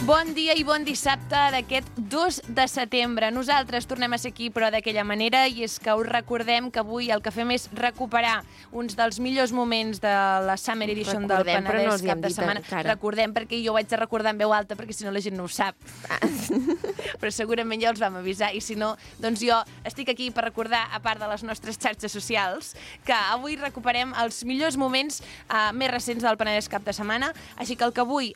Bon dia i bon dissabte d'aquest 2 de setembre. Nosaltres tornem a ser aquí, però d'aquella manera, i és que us recordem que avui el que fem és recuperar uns dels millors moments de la Summer Edition del Penedès cap de setmana. Recordem, perquè jo ho haig de recordar en veu alta, perquè si no la gent no ho sap. Però segurament ja els vam avisar, i si no, doncs jo estic aquí per recordar, a part de les nostres xarxes socials, que avui recuperem els millors moments més recents del Penedès cap de setmana, així que el que avui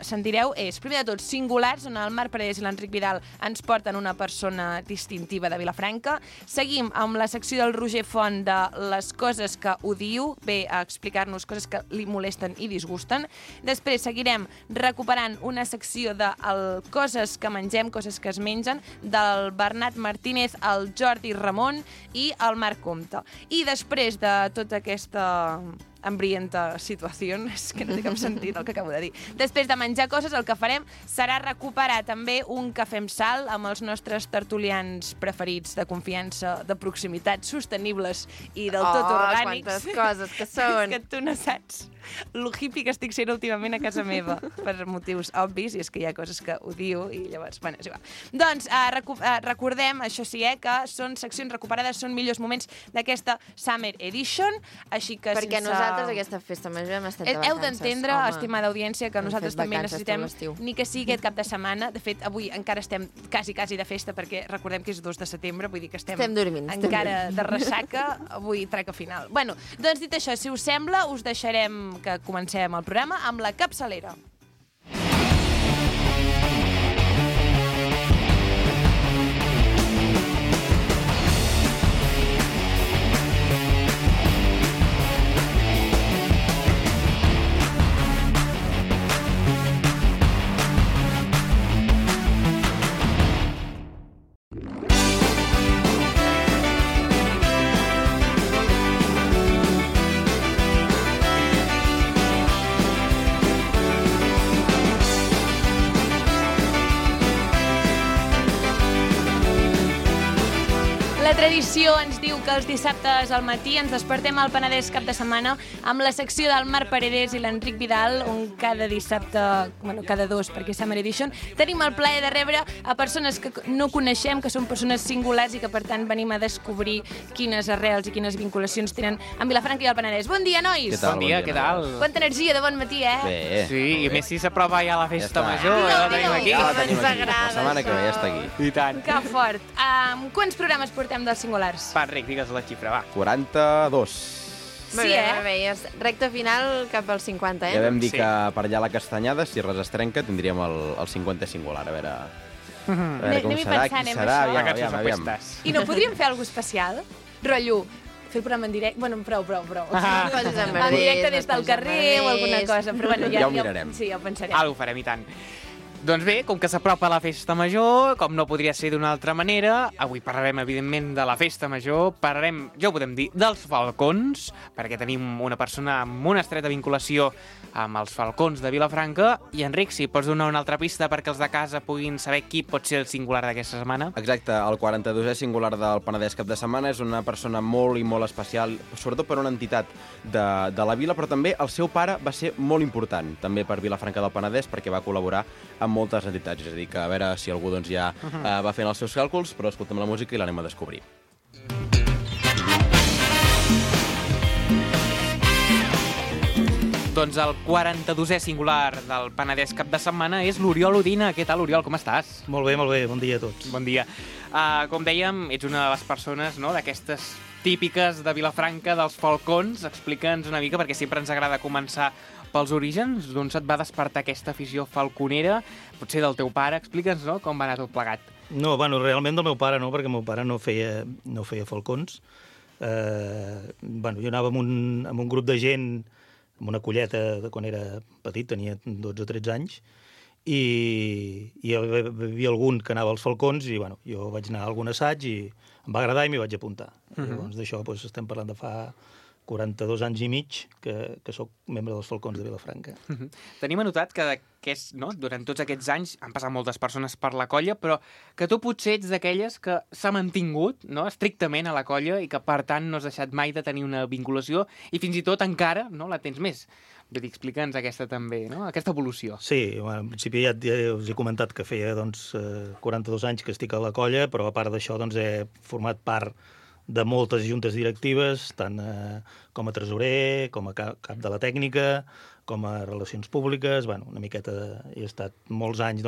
sentireu és, primer de tot, singulars, on el Marc Paredes i l'Enric Vidal ens porten una persona distintiva de Vilafranca. Seguim amb la secció del Roger Font de les coses que odio, ve a explicar-nos coses que li molesten i disgusten. Després seguirem recuperant una secció de coses que mengem, coses que es mengen, del Bernat Martínez, el Jordi Ramon i el Marc Comte. I després de tota aquesta hambrienta situació, és que no té cap sentit el que acabo de dir. Després de menjar coses, el que farem serà recuperar també un cafè amb sal amb els nostres tertulians preferits de confiança, de proximitat, sostenibles i del tot orgànics. Quantes coses que són! És que tu no saps lo hippie que estic sent últimament a casa meva, per motius obvis, i és que hi ha coses que odio, i llavors, bueno, és igual. Doncs recordem, això sí, que són seccions recuperades, són millors moments d'aquesta Summer Edition, així que perquè nosaltres aquesta festa major hem estat de vacances. Heu d'entendre, estimada audiència, que nosaltres també necessitem ni que sigui aquest cap de setmana. De fet, avui encara estem quasi de festa, perquè recordem que és 2 de setembre, vull dir que estem dormint, encara de ressaca, avui traca final. Bueno, doncs dit això, si us sembla, us deixarem que comencem el programa amb la capçalera. La tradició ens diu que els dissabtes al matí ens despertem al Penedès cap de setmana amb la secció del Marc Paredes i l'Enric Vidal, on cada dissabte, bueno, cada dos, perquè és Summer Edition, tenim el plaer de rebre a persones que no coneixem, que són persones singulars i que, per tant, venim a descobrir quines arrels i quines vinculacions tenen amb Vilafranca i el Penedès. Bon dia, nois! Què tal? Bon dia, què tal? Quanta energia de bon matí, eh? Bé. Sí, i més si s'aprova ja la festa major, Digue'l, ja la tenim aquí. Ja la tenim Ens aquí. agrada, La setmana que ve ja això. està aquí. I tant. Que fort. Quants programes portem dels singulars? Va, Enric, digues la xifra, va. 42. Molt bé, i és recta final cap als 50, Ja vam dir Sí. que per allà a la Castanyada, si res es trenca, tindríem el 50 singular. A veure com Anem-hi serà, pensant, qui en serà, això. Vacances o aviam. festes. I no podríem fer alguna cosa especial? Rotllo, fer el programa en directe... Bueno, prou. En directe des del carrer o alguna cosa. Però bueno, Ja ho mirarem. Sí, ja ho pensarem. Ara ho farem, i tant. Doncs bé, com que s'apropa la festa major, com no podria ser d'una altra manera, avui parlarem, evidentment, de la festa major, parlarem, ja ho podem dir, dels falcons, perquè tenim una persona amb una estreta vinculació amb els falcons de Vilafranca. I, Enric, si pots donar una altra pista perquè els de casa puguin saber qui pot ser el singular d'aquesta setmana. Exacte, el 42è singular del Penedès cap de setmana és una persona molt i molt especial, sobretot per una entitat de la vila, però també el seu pare va ser molt important, també per Vilafranca del Penedès, perquè va col·laborar amb moltes entitats. És a dir, que a veure si algú doncs, ja va fent els seus càlculs, però escoltem la música i l'anem a descobrir. Doncs el 42è singular del Penedès cap de setmana és l'Oriol Udina. Què tal, Oriol, com estàs? Molt bé, bon dia a tots. Bon dia. Com dèiem, ets una de les persones, no?, d'aquestes típiques de Vilafranca, dels falcons. Explica'ns una mica, perquè sempre ens agrada començar pels orígens, d'on se't va despertar aquesta afició falconera, potser del teu pare. Explica'ns, no?, com va anar tot plegat. No, bueno, realment del meu pare no, perquè el meu pare no feia falcons. Jo anava amb un grup de gent, amb una colleta de quan era petit, tenia 12 o 13 anys, i hi havia algun que anava als falcons, i jo vaig anar a algun assaig i em va agradar i m'hi vaig apuntar. Llavors d'això estem parlant de fa 42 anys i mig que sóc membre dels Falcons de Vilafranca. Tenim anotat que durant tots aquests anys han passat moltes persones per la colla, però que tu potser ets d'aquelles que s'ha mantingut estrictament a la colla i que, per tant, no has deixat mai de tenir una vinculació i fins i tot encara la tens més. Vull dir, explica'ns aquesta també, aquesta evolució. Sí, en principi ja us he comentat que feia 42 anys que estic a la colla, però a part d'això he format part de moltes juntes directives, tant com a tresorer, com a cap de la tècnica, com a relacions públiques, una miqueta he estat molts anys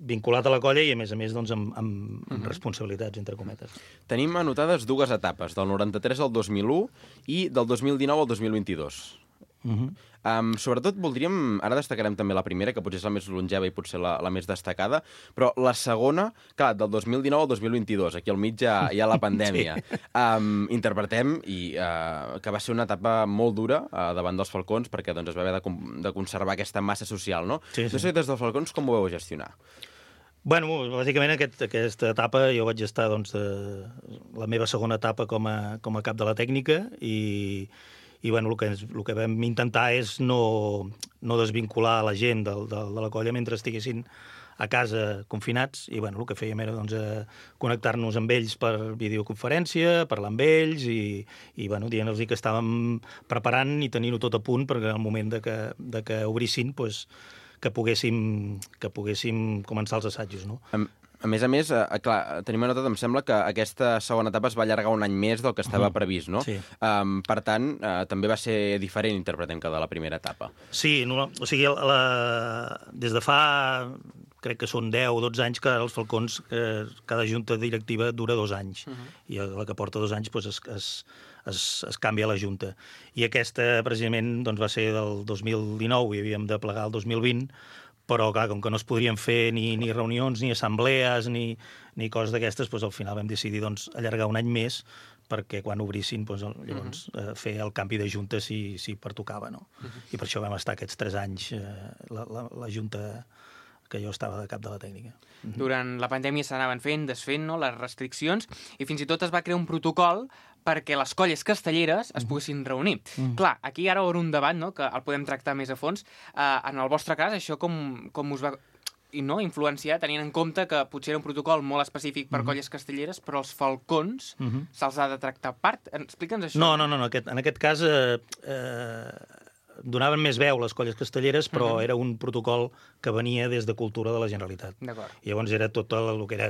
vinculat a la colla i a més amb responsabilitats, entre cometes. Tenim anotades 2 etapes, del 93 al 2001 i del 2019 al 2022. Sobretot ara destacarem també la primera, que potser és la més longeva i potser la més destacada, però la segona, clar, del 2019 al 2022, aquí al mig hi ha la pandèmia. Sí. Interpretem que va ser una etapa molt dura davant dels Falcons, perquè es va haver de conservar aquesta massa social, no? Sí. No sé, des dels Falcons com ho vau gestionar? Bàsicament aquesta etapa jo vaig estar la meva segona etapa com a cap de la tècnica i el que vam intentar és no desvincular la gent de la colla mentre estiguessin a casa confinats i el que fèiem era connectar-nos amb ells per videoconferència, parlar amb ells i dient-los que estàvem preparant i tenint-ho tot a punt perquè en el moment de que obrissin que poguéssim començar els assajos, no? A més, clar, tenim anotat, em sembla que aquesta segona etapa es va allargar un any més del que estava previst, no? Sí. Per tant, també va ser diferent, interpretem, que de la primera etapa. Sí, o sigui, des de fa, crec que són 10 o 12 anys que els Falcons, cada junta directiva dura 2 anys, i la que porta 2 anys es canvia la junta. I aquesta, precisament, va ser del 2019 i havíem de plegar el 2020, però, clar, com que no es podrien fer ni reunions, ni assemblees, ni coses d'aquestes, al final vam decidir allargar un any més perquè quan obrissin llavors fer el canvi de junta si pertocava, no? I per això vam estar aquests 3 anys la junta que jo estava de cap de la tècnica. Durant la pandèmia s'anaven fent, desfent, les restriccions, i fins i tot es va crear un protocol perquè les colles castelleres es poguessin reunir. Clar, aquí ara obre un debat, que el podem tractar més a fons. En el vostre cas, això com us va influenciar, tenint en compte que potser era un protocol molt específic per colles castelleres, però els Falcons se'ls ha de tractar a part? Explica'ns això. No. En aquest cas donaven més veu les colles castelleres, però era un protocol que venia des de Cultura de la Generalitat. I llavors era tot el que era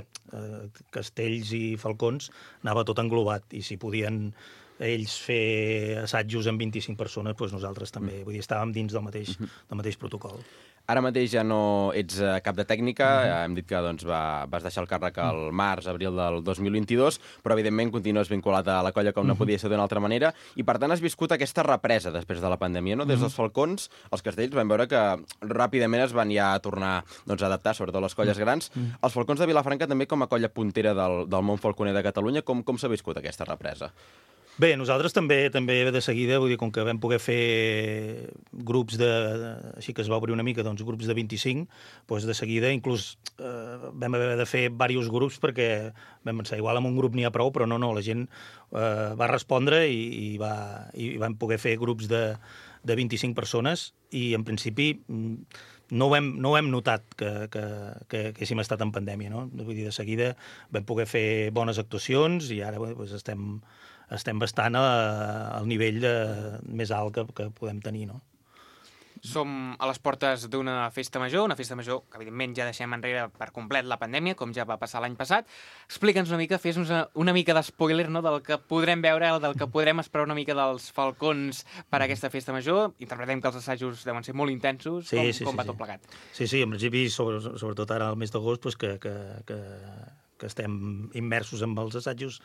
castells i falcons, anava tot englobat, i si podien ells fer assajos amb 25 persones, nosaltres també. Vull dir, estàvem dins del mateix protocol. Ara mateix ja no ets cap de tècnica, hem dit que vas deixar el càrrec al març-abril del 2022, però evidentment continues vinculat a la colla com no podia ser d'una altra manera, i per tant has viscut aquesta represa després de la pandèmia, no? Des dels Falcons, els castells vam veure que ràpidament es van ja tornar a adaptar, sobretot les colles grans. Els Falcons de Vilafranca també com a colla puntera del món falconer de Catalunya, com s'ha viscut aquesta represa? Bé, nosaltres també de seguida, vull dir, com que vam poder fer grups així que es va obrir una mica, grups de 25, de seguida inclús vam haver de fer diversos grups perquè vam pensar, igual amb un grup n'hi ha prou, però no, la gent va respondre i vam poder fer grups de 25 persones i en principi no ho hem notat que haguéssim estat en pandèmia, no? Vull dir, de seguida vam poder fer bones actuacions i ara estem bastant al nivell més alt que podem tenir, no? Som a les portes d'una festa major que evidentment ja deixem enrere per complet la pandèmia, com ja va passar l'any passat. Explica'ns una mica, fes-nos una mica d'espoiler, no?, del que podrem veure, del que podrem esperar una mica dels Falcons per a aquesta festa major. Interpretem que els assajos deuen ser molt intensos. Com va tot plegat? Sí, en principi, sobretot ara al mes d'agost, que estem immersos en els assajos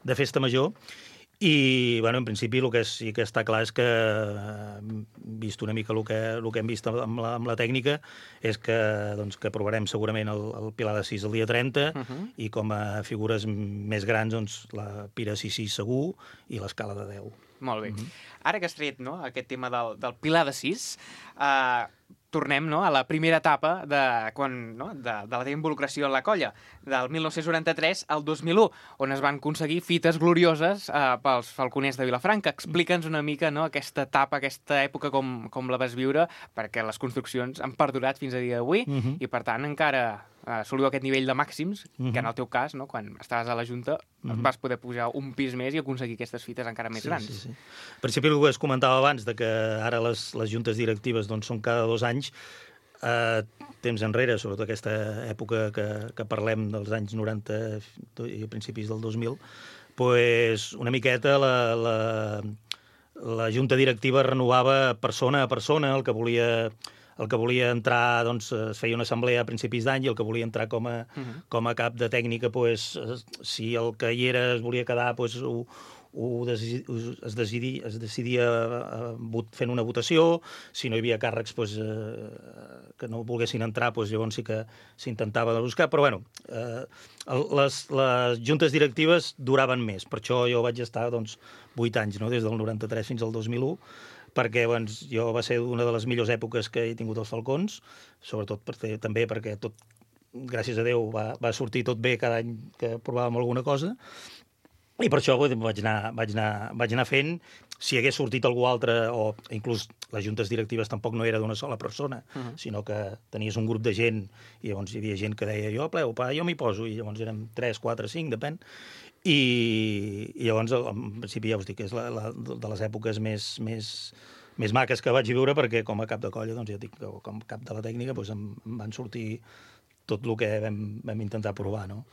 de festa major. I, en principi, el que sí que està clar és que, vist una mica el que hem vist amb la tècnica, és que provarem segurament el Pilar de 6 el dia 30 i com a figures més grans la Pira 6 segur i l'escala de 10. Molt bé. Ara que has tret, no, aquest tema del Pilar de 6, tornem, no, a la primera etapa de la teva involucració en la colla, del 1993 al 2001, on es van aconseguir fites glorioses pels falconers de Vilafranca. Explica'ns una mica, no, aquesta etapa, aquesta època, com la vas viure, perquè les construccions han perdurat fins a dia d'avui i, per tant, encara assoliu aquest nivell de màxims, que en el teu cas, no, quan estaves a la Junta, vas poder pujar un pis més i aconseguir aquestes fites encara més grans. Sí. En principi, el que es comentava abans, de que ara les juntes directives doncs, són cada 2 anys, temps enrere, sobretot aquesta època que parlem dels anys 90 i a principis del 2000, pues, una miqueta la junta directiva renovava persona a persona, el que volia entrar, doncs, es feia una assemblea a principis d'any i el que volia entrar com a cap de tècnica, pues, si el que hi era es volia quedar, pues, es decidia fent una votació. Si no hi havia càrrecs pues, que no volguessin entrar, pues, llavors sí que s'intentava buscar. Però bueno, les juntes directives duraven més. Per això jo vaig estar 8 anys, no? Des del 93 fins al 2001, perquè jo va ser una de les millors èpoques que he tingut als Falcons, sobretot també perquè tot, gràcies a Déu, va sortir tot bé cada any que provàvem alguna cosa, i per això vaig anar fent. Si hagués sortit algú altre, o inclús les juntes directives tampoc no era d'una sola persona, sinó que tenies un grup de gent, i llavors hi havia gent que deia jo m'hi poso, i llavors érem 3, 4, 5, depèn. I llavors, en principi, ja us dic, és de les èpoques més maques que vaig viure, perquè com a cap de colla, ja dic, com a cap de la tècnica, em van sortir tot el que vam intentar provar, no?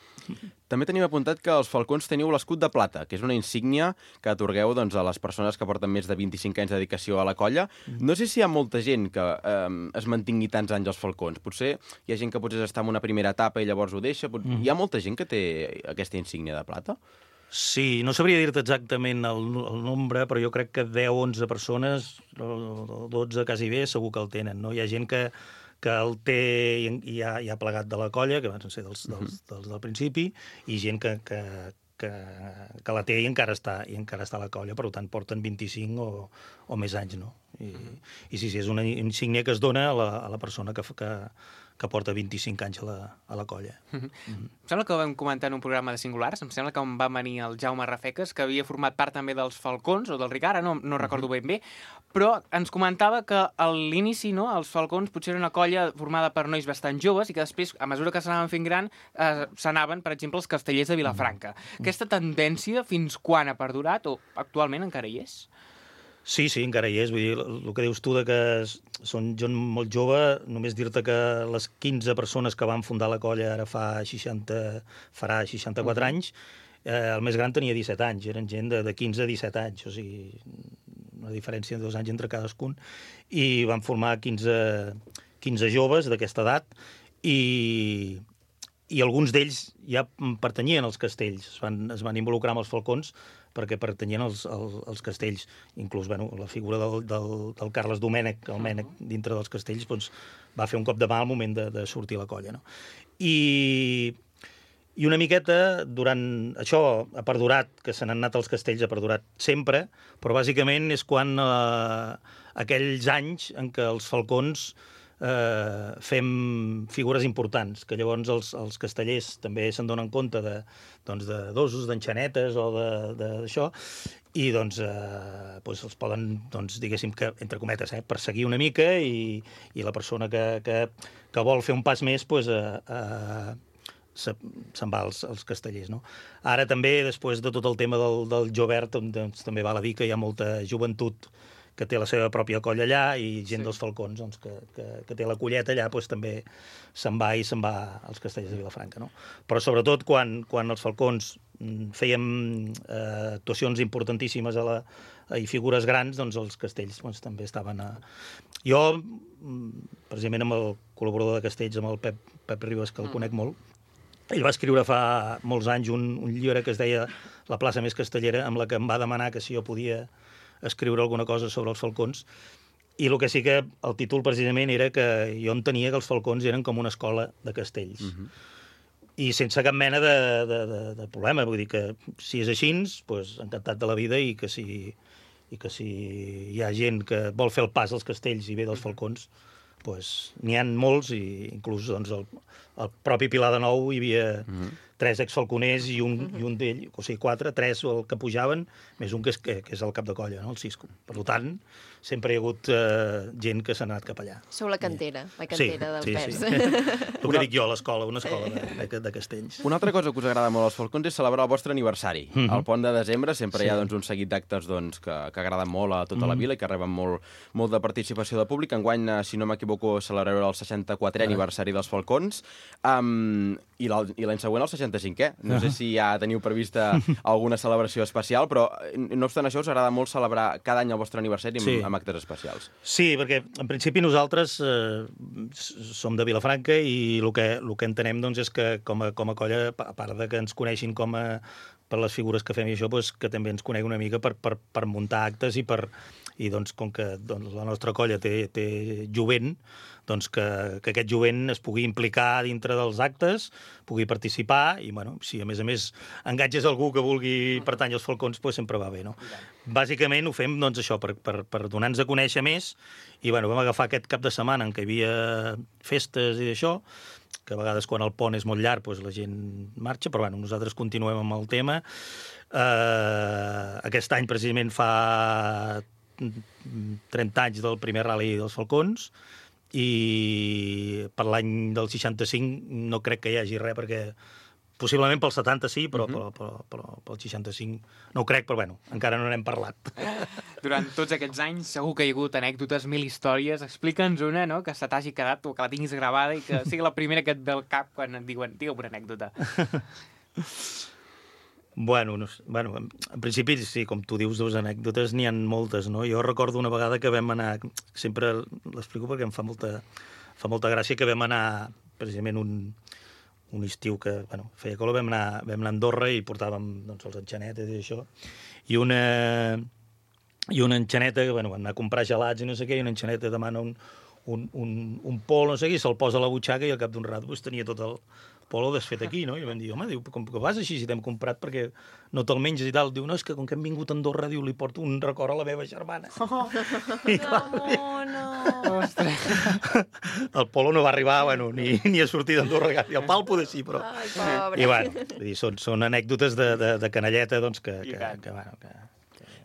També tenim apuntat que els Falcons teniu l'escut de plata, que és una insígnia que atorgueu a les persones que porten més de 25 anys de dedicació a la colla. No sé si hi ha molta gent que es mantingui tants anys als Falcons. Potser hi ha gent que potser està en una primera etapa i llavors ho deixa. Hi ha molta gent que té aquesta insígnia de plata? Sí, no sabria dir-te exactament el nombre, però jo crec que 10-11 persones, 12 quasi bé, segur que el tenen, no? Hi ha gent que el té i ha plegat de la colla, que van ser dels del principi, i gent que la té i encara està a la colla, per tant porten 25 o més anys, no? I sí, és una insígnia que es dona a la persona que porta 25 anys a la colla. Em sembla que ho vam comentar en un programa de Singulars, em sembla que on va venir el Jaume Rafeques, que havia format part també dels Falcons, o del Ricard, no recordo ben bé, però ens comentava que a l'inici, no, els Falcons potser era una colla formada per nois bastant joves i que després, a mesura que s'anaven fent gran, s'anaven, per exemple, els castellers de Vilafranca. Aquesta tendència fins quan ha perdurat o actualment encara hi és? Sí, encara hi és. Vull dir, el que dius tu de que són gent molt jove, només dir-te que les 15 persones que van fundar la colla ara farà 64 anys, el més gran tenia 17 anys, eren gent de 15 a 17 anys, o sigui, una diferència de 2 anys entre cadascun, i van formar 15 joves d'aquesta edat, i alguns d'ells ja pertanyien als castells, es van involucrar amb els Falcons perquè pertanyien als castells. Inclús la figura del Carles Domènech, el Mènec, dintre dels castells, va fer un cop de mà al moment de sortir la colla, no? I una miqueta, durant això ha perdurat, que se n'han anat als castells, ha perdurat sempre, però bàsicament és quan aquells anys en què els Falcons fem figures importants, que llavors els castellers també se'n donen compte d'osos, d'enxanetes o d'això, i els poden, diguéssim, que, entre cometes, perseguir una mica, i la persona que vol fer un pas més se'n va als castellers, no? Ara també, després de tot el tema del Jovert, també val a dir que hi ha molta joventut que té la seva pròpia colla allà, i gent dels Falcons que té la colleta allà, també se'n va als castellers de Vilafranca, no? Però sobretot quan els Falcons fèiem actuacions importantíssimes i figures grans, els castells també estaven Jo, precisament amb el col·laborador de castells, amb el Pep Ribas, que el conec molt, ell va escriure fa molts anys un llibre que es deia La plaça més castellera, amb la que em va demanar que si jo podia escriure alguna cosa sobre els Falcons, i el que sí que el títol precisament era que jo entenia que els Falcons eren com una escola de castells. I sense cap mena de problema, vull dir que si és així, encantat de la vida, i que si i que si hi ha gent que vol fer el pas als castells i ve dels falcons, doncs n'hi ha molts, i inclús doncs, el propi Pilar de Nou hi havia 3 exfalconers i un d'ell, o sigui, 4, 3 el que pujaven, més un que és el cap de colla, no? El Cisco. Per tant, sempre hi ha hagut gent que s'ha anat cap allà. Sou la cantera del pes. Sí. El que dic jo a l'escola, una escola de castells. Una altra cosa que us agrada molt als falcons és celebrar el vostre aniversari. Al pont de desembre sempre hi ha un seguit d'actes que agraden molt a tota la vila i que reben molt de participació de públic. Enguany, si no m'equivoco, celebrareu el 64è aniversari dels falcons i l'any següent el 65è. No sé si ja teniu prevista alguna celebració especial, però no obstant això us agrada molt celebrar cada any el vostre aniversari amb actes especials. Sí, perquè en principi nosaltres som de Vilafranca i el que entenem doncs, és que com a colla, a part de que ens coneixin per les figures que fem i això, doncs, que també ens conegui una mica per muntar actes i doncs, com que la nostra colla té jovent, doncs que aquest jovent es pugui implicar dintre dels actes, pugui participar i, bueno, si a més engatges algú que vulgui pertànyer als falcons, doncs sempre va bé, no? Bàsicament ho fem, doncs, això, per donar-nos a conèixer més i, bueno, vam agafar aquest cap de setmana en què hi havia festes i d'això, que a vegades quan el pont és molt llarg doncs la gent marxa, però bueno, nosaltres continuem amb el tema. Aquest any precisament fa 30 anys del primer rally dels falcons i per l'any del 65 no crec que hi hagi res, perquè possiblement pel 70 sí, però pel 65 no ho crec, però bueno, encara no n'hem parlat. Durant tots aquests anys segur que hi ha hagut anècdotes, 1000 històries. Explica'ns una, no?, que se t'hagi quedat o que la tinguis gravada i que sigui la primera que et ve al cap quan et diuen, digue'm una anècdota. Bueno, en principi, sí, com tu dius, dues anècdotes, n'hi ha moltes, no? Jo recordo una vegada que vam anar, sempre l'explico perquè em fa molta gràcia, que vam anar, precisament, un estiu que, bueno, feia calor, vam anar a Andorra i portàvem, doncs, els enxanetes i això, i una enxaneta, bueno, van anar a comprar gelats i no sé què, i una enxaneta demana un pol, no sé què, i se'l posa a la butxaca i al cap d'un rato pues, tenia tot el polo desfet aquí, no? I vam dir, home, com que vas així si t'hem comprat perquè no te'l menges i tal? Diu, no, és que com que hem vingut a Andorra, diu, li porto un record a la meva germana. No. Ostres. El polo no va arribar, bueno, ni a sortir d'Andorra, i el pal poder sí, però... Ai, pobre. I bueno, són anècdotes de canalleta, doncs, que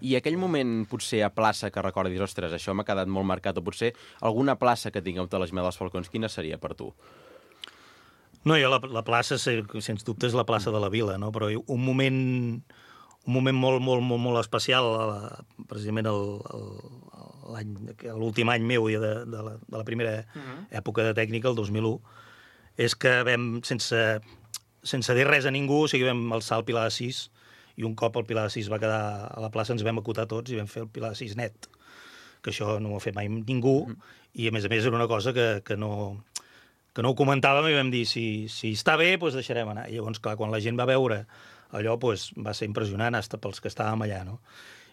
I aquell moment, potser, a plaça que recordis, ostres, això m'ha quedat molt marcat, o potser alguna plaça que tingueu a l'Esmel dels Falcons, quina seria per tu? No, jo la plaça, sens dubte, és la plaça de la Vila, no? Però un moment molt especial, precisament l'últim any meu de la primera època de tècnica, el 2001, és que vam, sense dir res a ningú, o sigui, vam alçar el Pilar de 6, i un cop el Pilar de 6 va quedar a la plaça, ens vam acotar tots i vam fer el Pilar de 6 net, que això no ho ha fet mai ningú, i a més era una cosa que no ho comentàvem i vam dir, si està bé, doncs deixarem anar. I llavors, clar, quan la gent va veure allò, doncs va ser impressionant, fins pels que estàvem allà, no?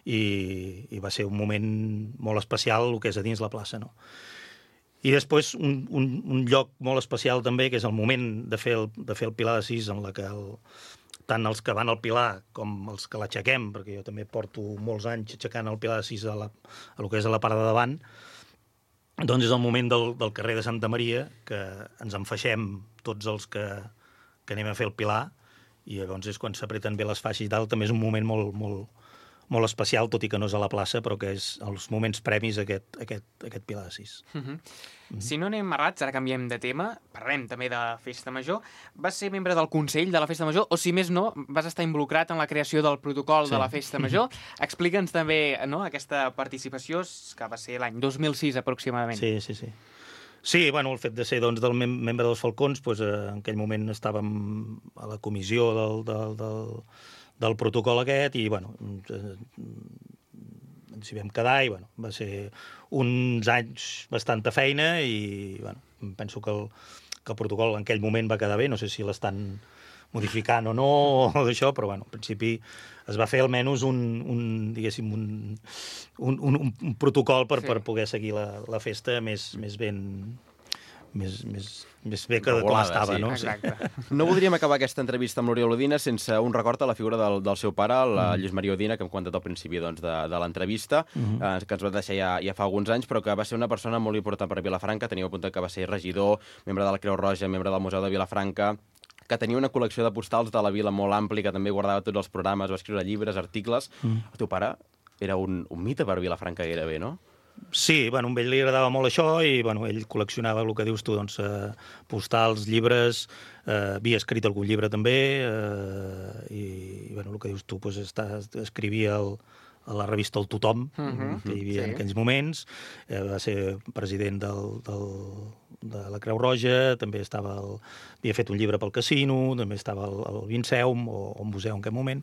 I va ser un moment molt especial, el que és a dins la plaça, no? I després, un lloc molt especial també, que és el moment de fer el Pilar de 6, en la que tant els que van al Pilar com els que l'aixequem, perquè jo també porto molts anys aixecant el Pilar de 6 a lo que és a la part de davant, doncs és el moment del carrer de Santa Maria, que ens enfaixem tots els que anem a fer el Pilar, i llavors és quan s'apreten bé les faixes i tal, també és un moment molt especial, tot i que no és a la plaça, però que és els moments premis aquest Pilar de 6. Si no anem errats, ara canviem de tema, parlem també de Festa Major. Vas ser membre del Consell de la Festa Major, o si més no, vas estar involucrat en la creació del protocol de la Festa Major. Explica'ns també, no, aquesta participació, que va ser l'any 2006 aproximadament. Sí. Sí, bueno, el fet de ser doncs, del membre dels Falcons, doncs, en aquell moment estàvem a la comissió del protocol aquest i, bueno, ens hi vam quedar i, bueno, va ser uns anys bastanta feina i, bueno, penso que el protocol en aquell moment va quedar bé, no sé si l'estan modificant o no, o d'això, però, bueno, en principi es va fer almenys un protocol per poder seguir la festa més més bé que com Regulada, estava, sí. no? Exacte. No voldríem acabar aquesta entrevista amb l'Oriol Udina sense un record a la figura del seu pare, el Lluís Maria Udina, que hem comentat al principi doncs, de l'entrevista, que ens va deixar ja fa alguns anys, però que va ser una persona molt important per a Vilafranca. Teníeu apuntat que va ser regidor, membre de la Creu Roja, membre del Museu de Vilafranca, que tenia una col·lecció de postals de la vila molt àmplia, que també guardava tots els programes, va escriure llibres, articles. El teu pare era un mite per Vilafranca gairebé, no? Sí, bueno, a ell li agradava molt això i bueno, ell col·leccionava el que dius tu, doncs, postals, llibres, havia escrit algun llibre també i bueno, el que dius tu, doncs, escrivia a la revista El Tothom, que hi havia en aquells moments, va ser president de la Creu Roja, també havia fet un llibre pel casino, també estava al Vinceum o al museu en aquell moment.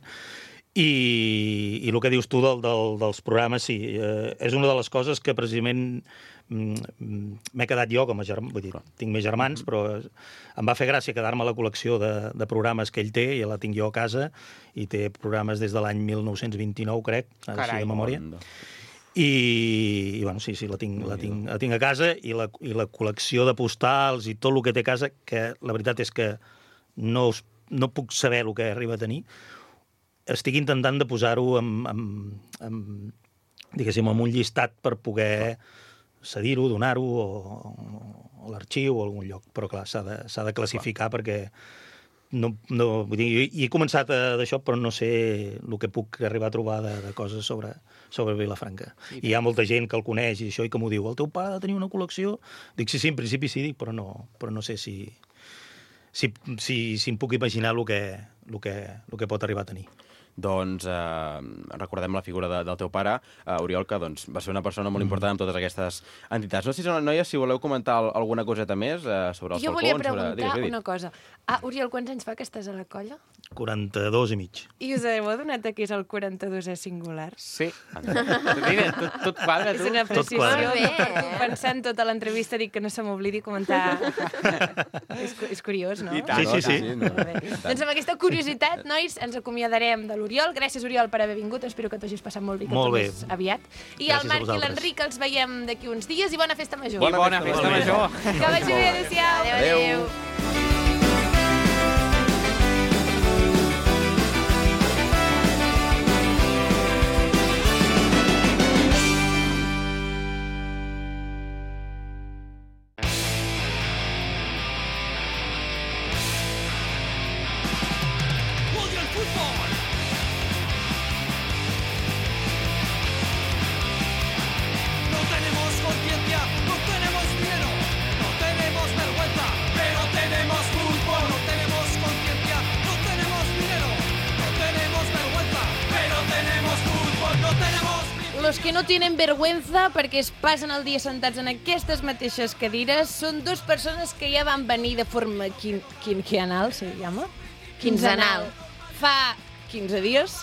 I el que dius tu dels programes, sí, és una de les coses que precisament m'he quedat jo com a germà, vull dir, tinc més germans, però em va fer gràcia quedar-me a la col·lecció de programes que ell té, i la tinc jo a casa, i té programes des de l'any 1929, crec, així de memòria. I bueno, sí, la tinc a casa, i la col·lecció de postals i tot el que té a casa, que la veritat és que no puc saber el que arriba a tenir. Estic intentant de posar-ho diguéssim, en un llistat per poder cedir-ho, donar-ho a l'arxiu o a algun lloc. Però, clar, s'ha de classificar perquè vull dir, he començat d'això, però no sé el que puc arribar a trobar de coses sobre Vilafranca. I hi ha molta gent que el coneix i això i que m'ho diu, el teu pare ha de tenir una col·lecció? Dic, sí, en principi sí, però no sé si em puc imaginar el que pot arribar a tenir. Doncs recordem la figura del teu pare, Oriol, que doncs, va ser una persona molt important en totes aquestes entitats. No sé, noies, si voleu comentar alguna coseta més sobre els falcons. Jo volia preguntar una cosa. Oriol, quants anys fa que estàs a la colla? 42 i mig. I us heu adonat que és el 42è singular? Sí. Tot quadra, tu. És una precisió quadra. que per tu pensant tota l'entrevista dic que no se m'oblidi comentar. És curiós, no? I tant. Sí. Molt bé. Doncs amb aquesta curiositat, nois, ens acomiadarem de l'Oriol. Gràcies, Oriol, per haver vingut. Espero que t'hagis passat molt bé, que tornis aviat. I Gràcies el Marc i l'Enric els veiem d'aquí uns dies i bona festa major. I bona festa major. Que vagi bé, adéu-siau. Adéu. Los que no tienen vergüenza perquè es passen el dia sentats en aquestes mateixes cadires són dos persones que ja van venir de forma quinquenal, se llama? Quinzenal. Fa 15 dies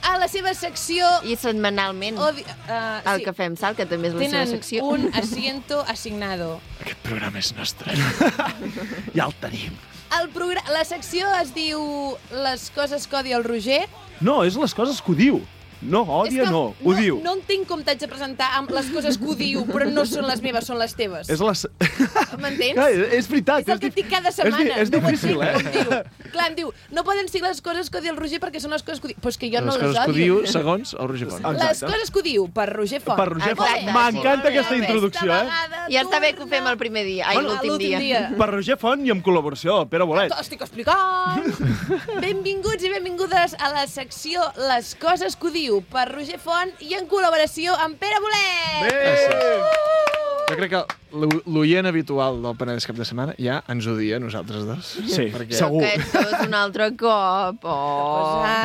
a la seva secció... I setmanalment, el Cafè amb Sal, que també és la seva secció. Tenen un asiento asignado. Aquest programa és nostre. Ja el tenim. La secció es diu Les coses que odia el Roger. No, és les coses que ho diu. No, odia no, ho diu. No entenc com t'haig de presentar amb les coses que ho diu, però no són les meves, són les teves. És les... M'entens? Clar, és veritat. És el que dic cada setmana. És difícil, Clar, em diu, no poden ser les coses que odia el Roger perquè són les coses que ho diu. Però és que jo no les odio. Les coses que ho diu segons el Roger Font. Les coses que ho diu per Roger Font. Per Roger Font. M'encanta aquesta introducció, Ja està bé que ho fem el primer dia, l'últim dia. Per Roger Font i amb col·laboració del Pere Bolet. T'ho estic explicant. Benvinguts i benvingudes a la secció Les coses que ho diu per Roger Font i en col·laboració amb Pere Bolet. Jo crec que l'oient habitual del Penedès Cap de Setmana ja ens odia a nosaltres dos. Sí, segur. Aquest és un altre cop.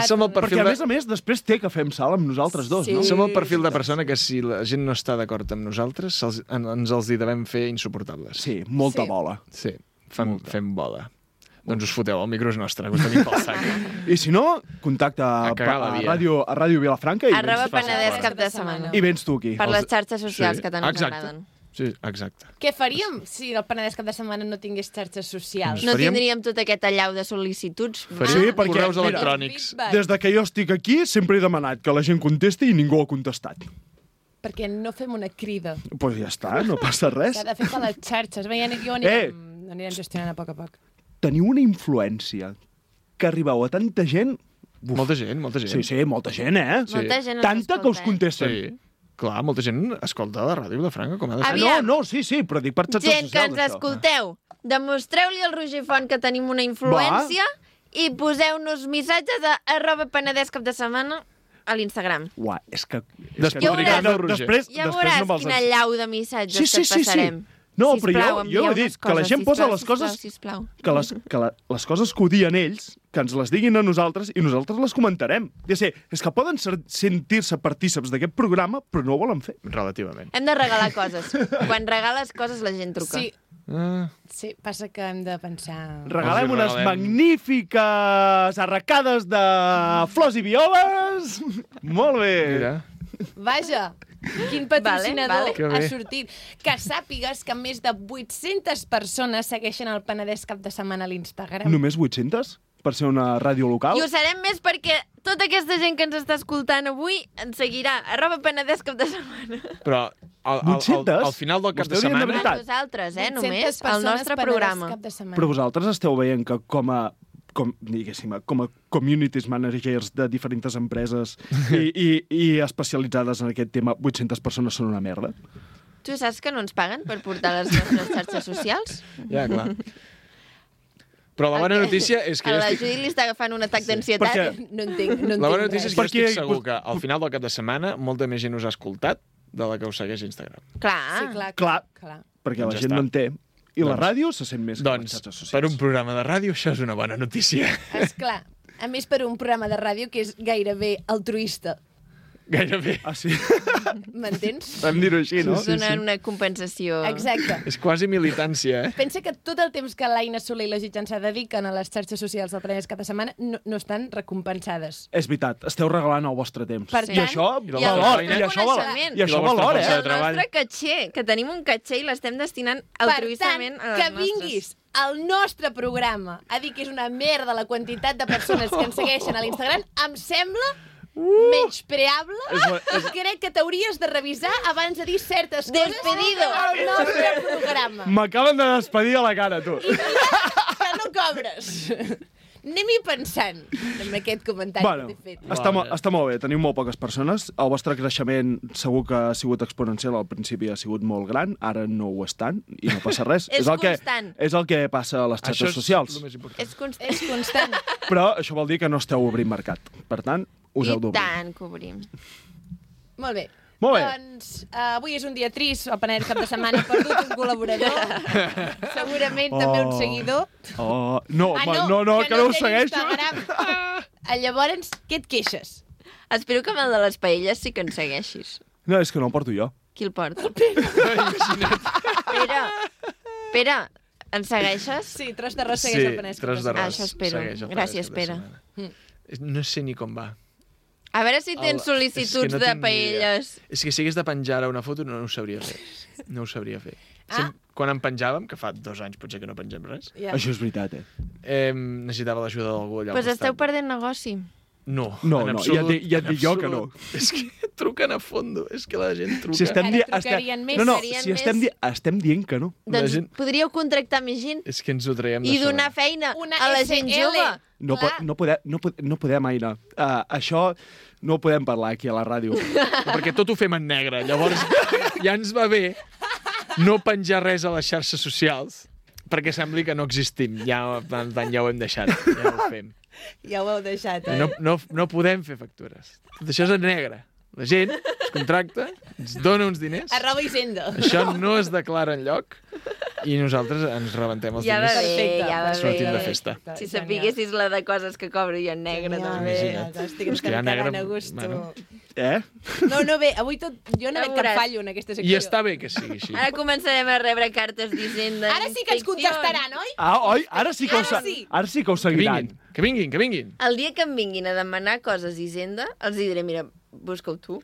Som el perfil perquè, a més, després té que fem sal amb nosaltres dos, no? Som el perfil de persona que si la gent no està d'acord amb nosaltres, ens els hi devem fer insuportables. Sí, molta bola. Sí, fem bola. Doncs us foteu, el micro és nostre, us tenim pel sac. I si no, contacta a Ràdio Vilafranca i @Penedès Cap de Setmana. I vens tu aquí. Per les xarxes socials que tant ens agraden. Sí, exacte. Què faríem si el Penedès Cap de Setmana no tingués xarxes socials? No tindríem tot aquest allau de sol·licituds. Sí, perquè, correus electrònics. Des que jo estic aquí sempre he demanat que la gent contesti i ningú ha contestat. perquè no fem una crida. Pues ja està, no passa res. S'ha de fer per les xarxes. Bé, jo anirem gestionant a poc a poc. Teniu una influència que arribeu a tanta gent... Molta gent. Sí, molta gent, Molta gent ens Tanta que us escolta, contesten. Sí. Clar, molta gent escolta la ràdio de Franca, com ha de ser. Aviam. Sí, però dic per xarxes Gent que socials, ens escolteu, demostreu-li al Roger Font que tenim una influència i poseu-nos missatges a @penedescapdesetmana a l'Instagram. Uah, és que... Despotricant el Roger. Ja veuràs quina llau de missatges que et passarem. No, Sisplau, però jo he dit que la gent posa les coses... Sisplau. Que les coses que odien ells, que ens les diguin a nosaltres i nosaltres les comentarem. És que poden sentir-se partíceps d'aquest programa, però no ho volen fer. Relativament. Hem de regalar coses. Quan regales coses la gent truca. Sí. Sí, passa que hem de pensar... Regalem Els unes regalem. magnífiques arracades de flors i violes. Molt bé. Mira. Vaja, quin patrocinador Vale. Que ha bé. sortit. Que sàpigues que més de 800 persones segueixen el Penedès cap de setmana a l'Instagram. Només 800? Per ser una ràdio local? I ho serem més perquè tota aquesta gent que ens està escoltant avui ens seguirà @penedescapdesetmana. Però al final del cap de Vostè hauria de setmana... veritat. Nosaltres, 800 només, el persones nostre Penedès programa. cap de setmana. Però vosaltres esteu veient que com a communities managers de diferents empreses i especialitzades en aquest tema, 800 persones són una merda? Tu saps que no ens paguen per portar les nostres xarxes socials? Ja, clar. Però la bona notícia és que A jo la estic... Judit li està agafant un atac d'ansietat. Perquè- No entenc La bona notícia és que jo Perquè- estic segur que al final del cap de setmana molta més gent us ha escoltat de la que us segueix a Instagram. Clar. Sí, clar. Clar. Perquè la Ja gent està. no en té. I la ràdio se sent més que les Doncs, xarxes socials. per un programa de ràdio, això és una bona notícia. Esclar. A més, per un programa de ràdio que és gairebé altruista. Gairebé. Ah, sí? M'entens? Vam dir-ho així, no? Us donen una compensació. Exacte. És quasi militància, eh? Pensa que tot el temps que l'Aina Soler i la Gitjan se dediquen a les xarxes socials del Penedès cada setmana no estan recompensades. És veritat, esteu regalant el vostre temps. Per I tant, això i la valor, vostra i això valor, coneixement. i això I la vostra valor, força I de el treball. nostre caché, que tenim un caché i l'estem destinant Per tant, altruistament a les que vinguis al nostre programa a dir que és una merda la quantitat de persones que ens segueixen a l'Instagram, em sembla menyspreable. Crec que t'hauries de revisar abans de dir certes coses Despedido. al nostre programa. M'acaben de despedir a la cara, tu. Que no cobres. Anem-hi pensant en aquest comentari Bueno, que t'he fet. està molt bé, teniu molt poques persones. El vostre creixement segur que ha sigut exponencial, al principi ha sigut molt gran, ara no ho és tant, i no passa res. És constant. És el que passa a les Això xarxes és socials. el més important. És constant. És constant. Però això vol dir que no esteu obrint mercat. Per tant, us heu I d'obrir. tant que obrim. Molt bé. Molt bé. Doncs avui és un dia trist, el Penedès cap de setmana ha perdut un col·laborador, segurament també un seguidor. Oh, no, Ah, que no ho té segueixo. Instagram. Llavors, què et queixes? Espero que amb el de les paelles sí que ens segueixis. No, és que no el porto jo. Qui el porta? Pere, ens segueixes? Sí, tros d'arròs segueix el Penedès cap tros de setmana. d'arròs. Això espero. segueix el Gràcies, Penedès Pere. cap de setmana. No sé ni com va. A veure si tens És que sol·licituds no de tinc ni idea. paelles. És que si hagués de penjar ara una foto no ho sabria fer. No ho sabria fer. Ah. Quan en penjàvem, que fa 2 anys potser que no pengem res, Ja. Això és veritat, necessitava l'ajuda d'algú allà al Doncs esteu costat. perdent negoci. No, No, en no, absolut, ja et dic jo que absolut. És que truquen a fondo, és que la gent truca. Si estem Ara di- trucarien més, No, serien si estem dient que no. La Doncs gent- podríeu contractar més gent És que ens ho traiem de i sobre. donar feina Una a la gent SL. jove. No podem, Aina. Això no ho podem parlar aquí a la ràdio. Perquè tot ho fem en negre. Llavors, ja ens va bé no penjar res a les xarxes socials perquè sembli que no existim. Ja, per tant, ja ho hem deixat. Ja ho fem. Ja ho heu deixat, I no podem fer factures. Tot això és en negre. La gent es contracta, ens dona uns diners, Arroba Hisenda. això no es declara enlloc i nosaltres ens rebentem els Ja va diners. bé, Perfecte, ja va sortim de bé. festa. Si sapiguessis la de coses que cobro jo en negre, també. Imagina't. Estic És que ja quedant negre, a gust. bueno. No, bé, avui tot... Jo no Ja veig cap veuràs. fallo en aquesta secció. I està bé que sigui així. Ara començarem a rebre cartes d'Hisenda. Ara sí que ens contestaran, oi? Ah, oi? Ara sí que ho Que seguiran. vinguin, que vinguin, que vinguin. El dia que em vinguin a demanar coses d'Hisenda, els diré, mira, busca-ho tu.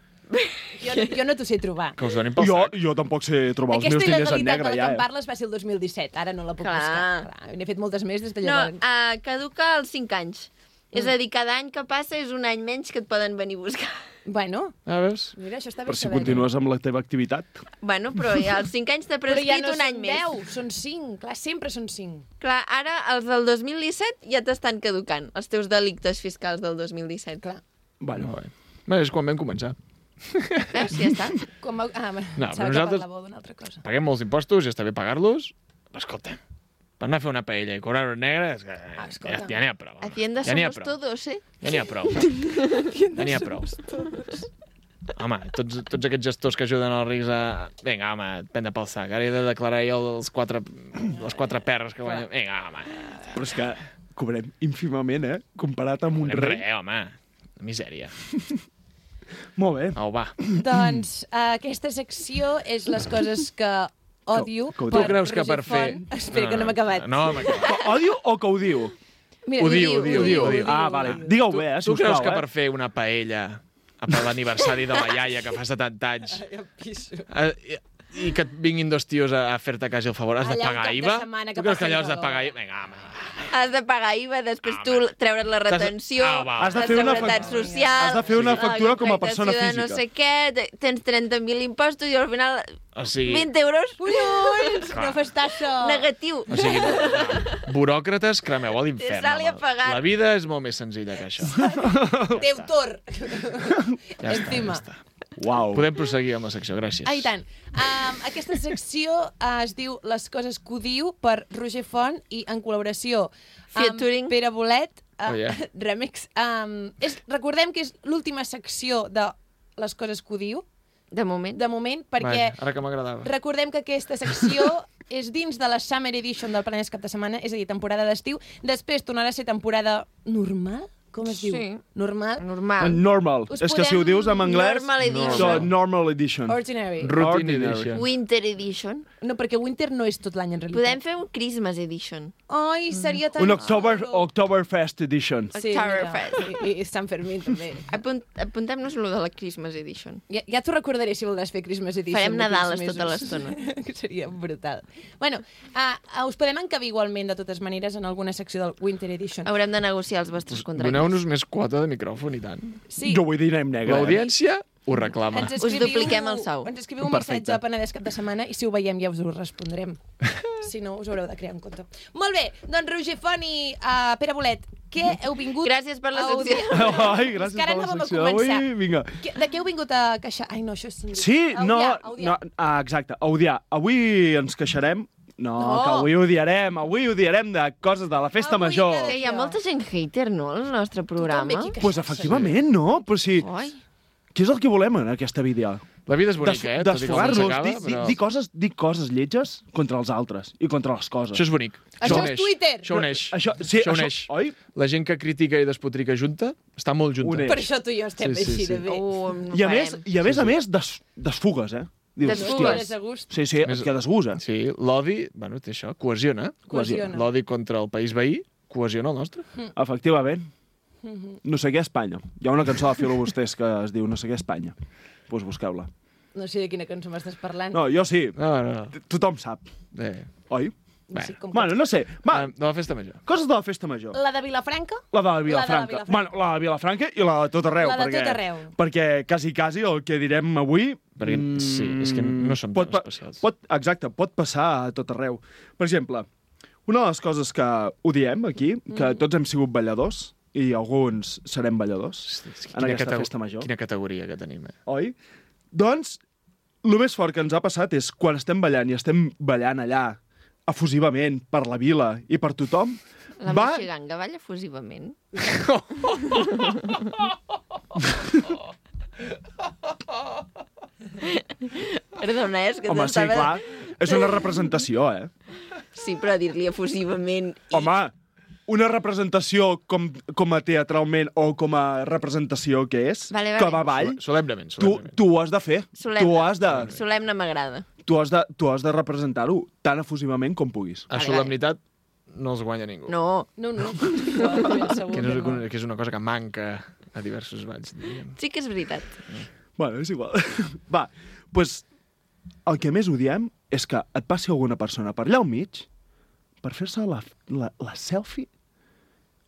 Jo no t'ho sé trobar. Que us donin pel sac. Jo tampoc sé trobar els Aquesta meus diners en il·legalitat negre, de la ja. que em parles va ser el 2017. Ara no la puc Clar. buscar. Clar, n'he fet moltes més des de No, llavors. caduca als 5 anys. És a dir, cada any que passa és un any menys que et poden venir a buscar. Bueno, A veus? mira, això està bé Per si saber-ho. continues amb la teva activitat. Bueno, però ja els 5 anys de Però ja prescrit no un any són més. 10, són 5. Clar, sempre són 5. Clar, ara els del 2017 ja t'estan caducant, els teus delictes fiscals del 2017. Clar. Bueno, Bé, és quan vam començar. Veus? Ja està. Com a... Ah, No, no, però nosaltres- parlàveu d'una altra cosa. Paguem molts impostos, ja està bé pagar-los. Però escolta, per anar a fer una paella i cobrar-ho en negre, és que escolta. ja n'hi ha prou. home. Hacienda Ja n'hi ha somos prou. todos, eh? Ja n'hi ha prou. Ja n'hi ha prou. Home, tots aquests gestors que ajuden els rics a... Vinga, home, prendre pel sac. Ara he de declarar jo les quatre perres que guanyo. Vinga, home. però és que cobrem ínfimament, comparat amb un rei. Res, home. Misèria. Molt bé. Au, va. Doncs aquesta secció és les coses que odio. Que ho Tu diu. creus que per Roger fer... Font. Espera, que no m'he acabat. No, m'he acabat. Que odio o que ho diu? Mira, Ho diu. Ah, vale. Digueu bé, Tu sisplau. creus que per fer una paella per l'aniversari de la iaia que fa 70 anys i que et vinguin dos tios a fer-te quasi el favor, has de Allà un pagar cap de IVA? setmana que Tu creus que passi allò el has de calor. pagar IVA? Vinga, home. Has de pagar IVA, després tu treure't la retenció, Ah, va. Has de la fer una seguretat fac- social... has de fer una la factura com a persona contractació de física. no sé què, tens 30.000 impostos i al final O sigui, 20 euros Collons, no fas tassa. negatiu. o sigui, buròcrates, cremeu a l'infern. Sal-hi a home. pagar. La vida és molt més senzilla que això. Deutor. Ja Encima. està. Uau. Podem proseguir amb la secció, gràcies. Ah, i tant. Aquesta secció es diu Les coses que odio per Roger Font i en col·laboració amb Featuring. Pere Bolet, Oh, yeah. Remix. Recordem que és l'última secció de Les coses que odio, De moment. de moment, perquè Vaja, ara que m'agradava. recordem que aquesta secció és dins de la Summer Edition del Penedès cap de setmana, és a dir, temporada d'estiu. Després tornarà a ser temporada normal? Com es diu? Sí. Normal? Normal. Normal. Us És que si ho podem- dius en anglès... Normal edition. So, normal edition. Ordinary. Routine Ordinary. edition. Winter edition. No, perquè Winter no és tot l'any, en realitat. Podem fer un Christmas edition. Ai, seria tan... Un Oktoberfest edition. Sí, Oktoberfest. mira, i Sant Fermín, també. Apuntem-nos lo de la Christmas edition. Ja t'ho recordaré si voldràs fer Christmas Edition. Farem d'aquí Nadales uns tota mesos. l'estona. Que seria brutal. Bueno, us podem encabir igualment, de totes maneres, en alguna secció del Winter Edition. Haurem de negociar els vostres contractes. Doneu-nos més quota de micròfon, i tant. Sí. Jo vull dir anem negre. L'audiència ho reclama. Ens Us dupliquem el sou. Ens escriviu un Perfecte. missatge a Penedès cap de setmana i si ho veiem ja us ho respondrem. Si no, us haureu de crear un compte. Molt bé, doncs Roger Font i Pere Bolet, què heu vingut Gràcies per la a odiar? secció. Ai, gràcies És que ara per la anàvem a secció començar. d'avui. Vinga. De què heu vingut a queixar? Ai, no, això és... Sí, A no, odiar, a odiar. exacte, a odiar. Avui ens queixarem. No, No. que avui odiarem de coses de la festa Avui major. cada- Que hi ha molta gent hater, no, al nostre programa? Tothom ve aquí Pues efectivament, no? Però sí, Oi. què és el que volem en aquesta vida? La vida és bonica, Tot i com Desfogar-nos, s'acaba, dir coses lletges contra els altres i contra les coses. Això és bonic. Això uneix. és Twitter. Això uneix. Això uneix. oi? La gent que critica i despotrica junta està molt junta. Uneix. Per això tu i jo estem Sí, sí, així sí. de bé. No I a més, farem. desfugues, eh? Dius, Desfugues. Eres a gust. Sí, sí, et quedes gust, eh? Sí, l'odi, bueno, té això, cohesiona. Cohesiona. L'odi contra el país veí cohesiona el nostre. Efectivament. No sé què Espanya. Hi ha una cançó de Filobusters que es diu No sé què Espanya. Doncs pues busqueu-la. No sé de quina cançó m'estàs parlant. No, jo sí. No. Tothom sap. Oi? No sé com Bueno, no sé. Va, De la festa major. coses de la festa major. La de Vilafranca? La de Vilafranca. Bueno, la de Vilafranca i la de tot arreu. La de perquè, tot arreu. Perquè quasi el que direm avui... Perquè, sí, és que no som tan especials. Exacte, pot passar a tot arreu. Per exemple, una de les coses que odiem aquí, que tots hem sigut balladors, i alguns serem balladors en aquesta festa major. Quina categoria que tenim, eh? Oi? Doncs, el més fort que ens ha passat és quan estem ballant i estem ballant allà efusivament per la vila i per tothom, La va... Moixiganga balla efusivament. Perdona, és que Home, sí, clar, és una representació, eh? Sí, però dir-li efusivament... Home, una representació com a teatralment o com a representació que és, Vale, que vale. va a ball, Solemnement. tu ho has de fer. Solemne. Solemne m'agrada. Tu has de representar-ho tan efusivament com puguis. A solemnitat no els guanya ningú. No. No. Ben segur Que, que no. que és una cosa que manca a diversos balls, diríem. Sí que és veritat. Bueno, és igual. Va, doncs el que més odiem és que et passi alguna persona per allà al mig per fer-se la selfie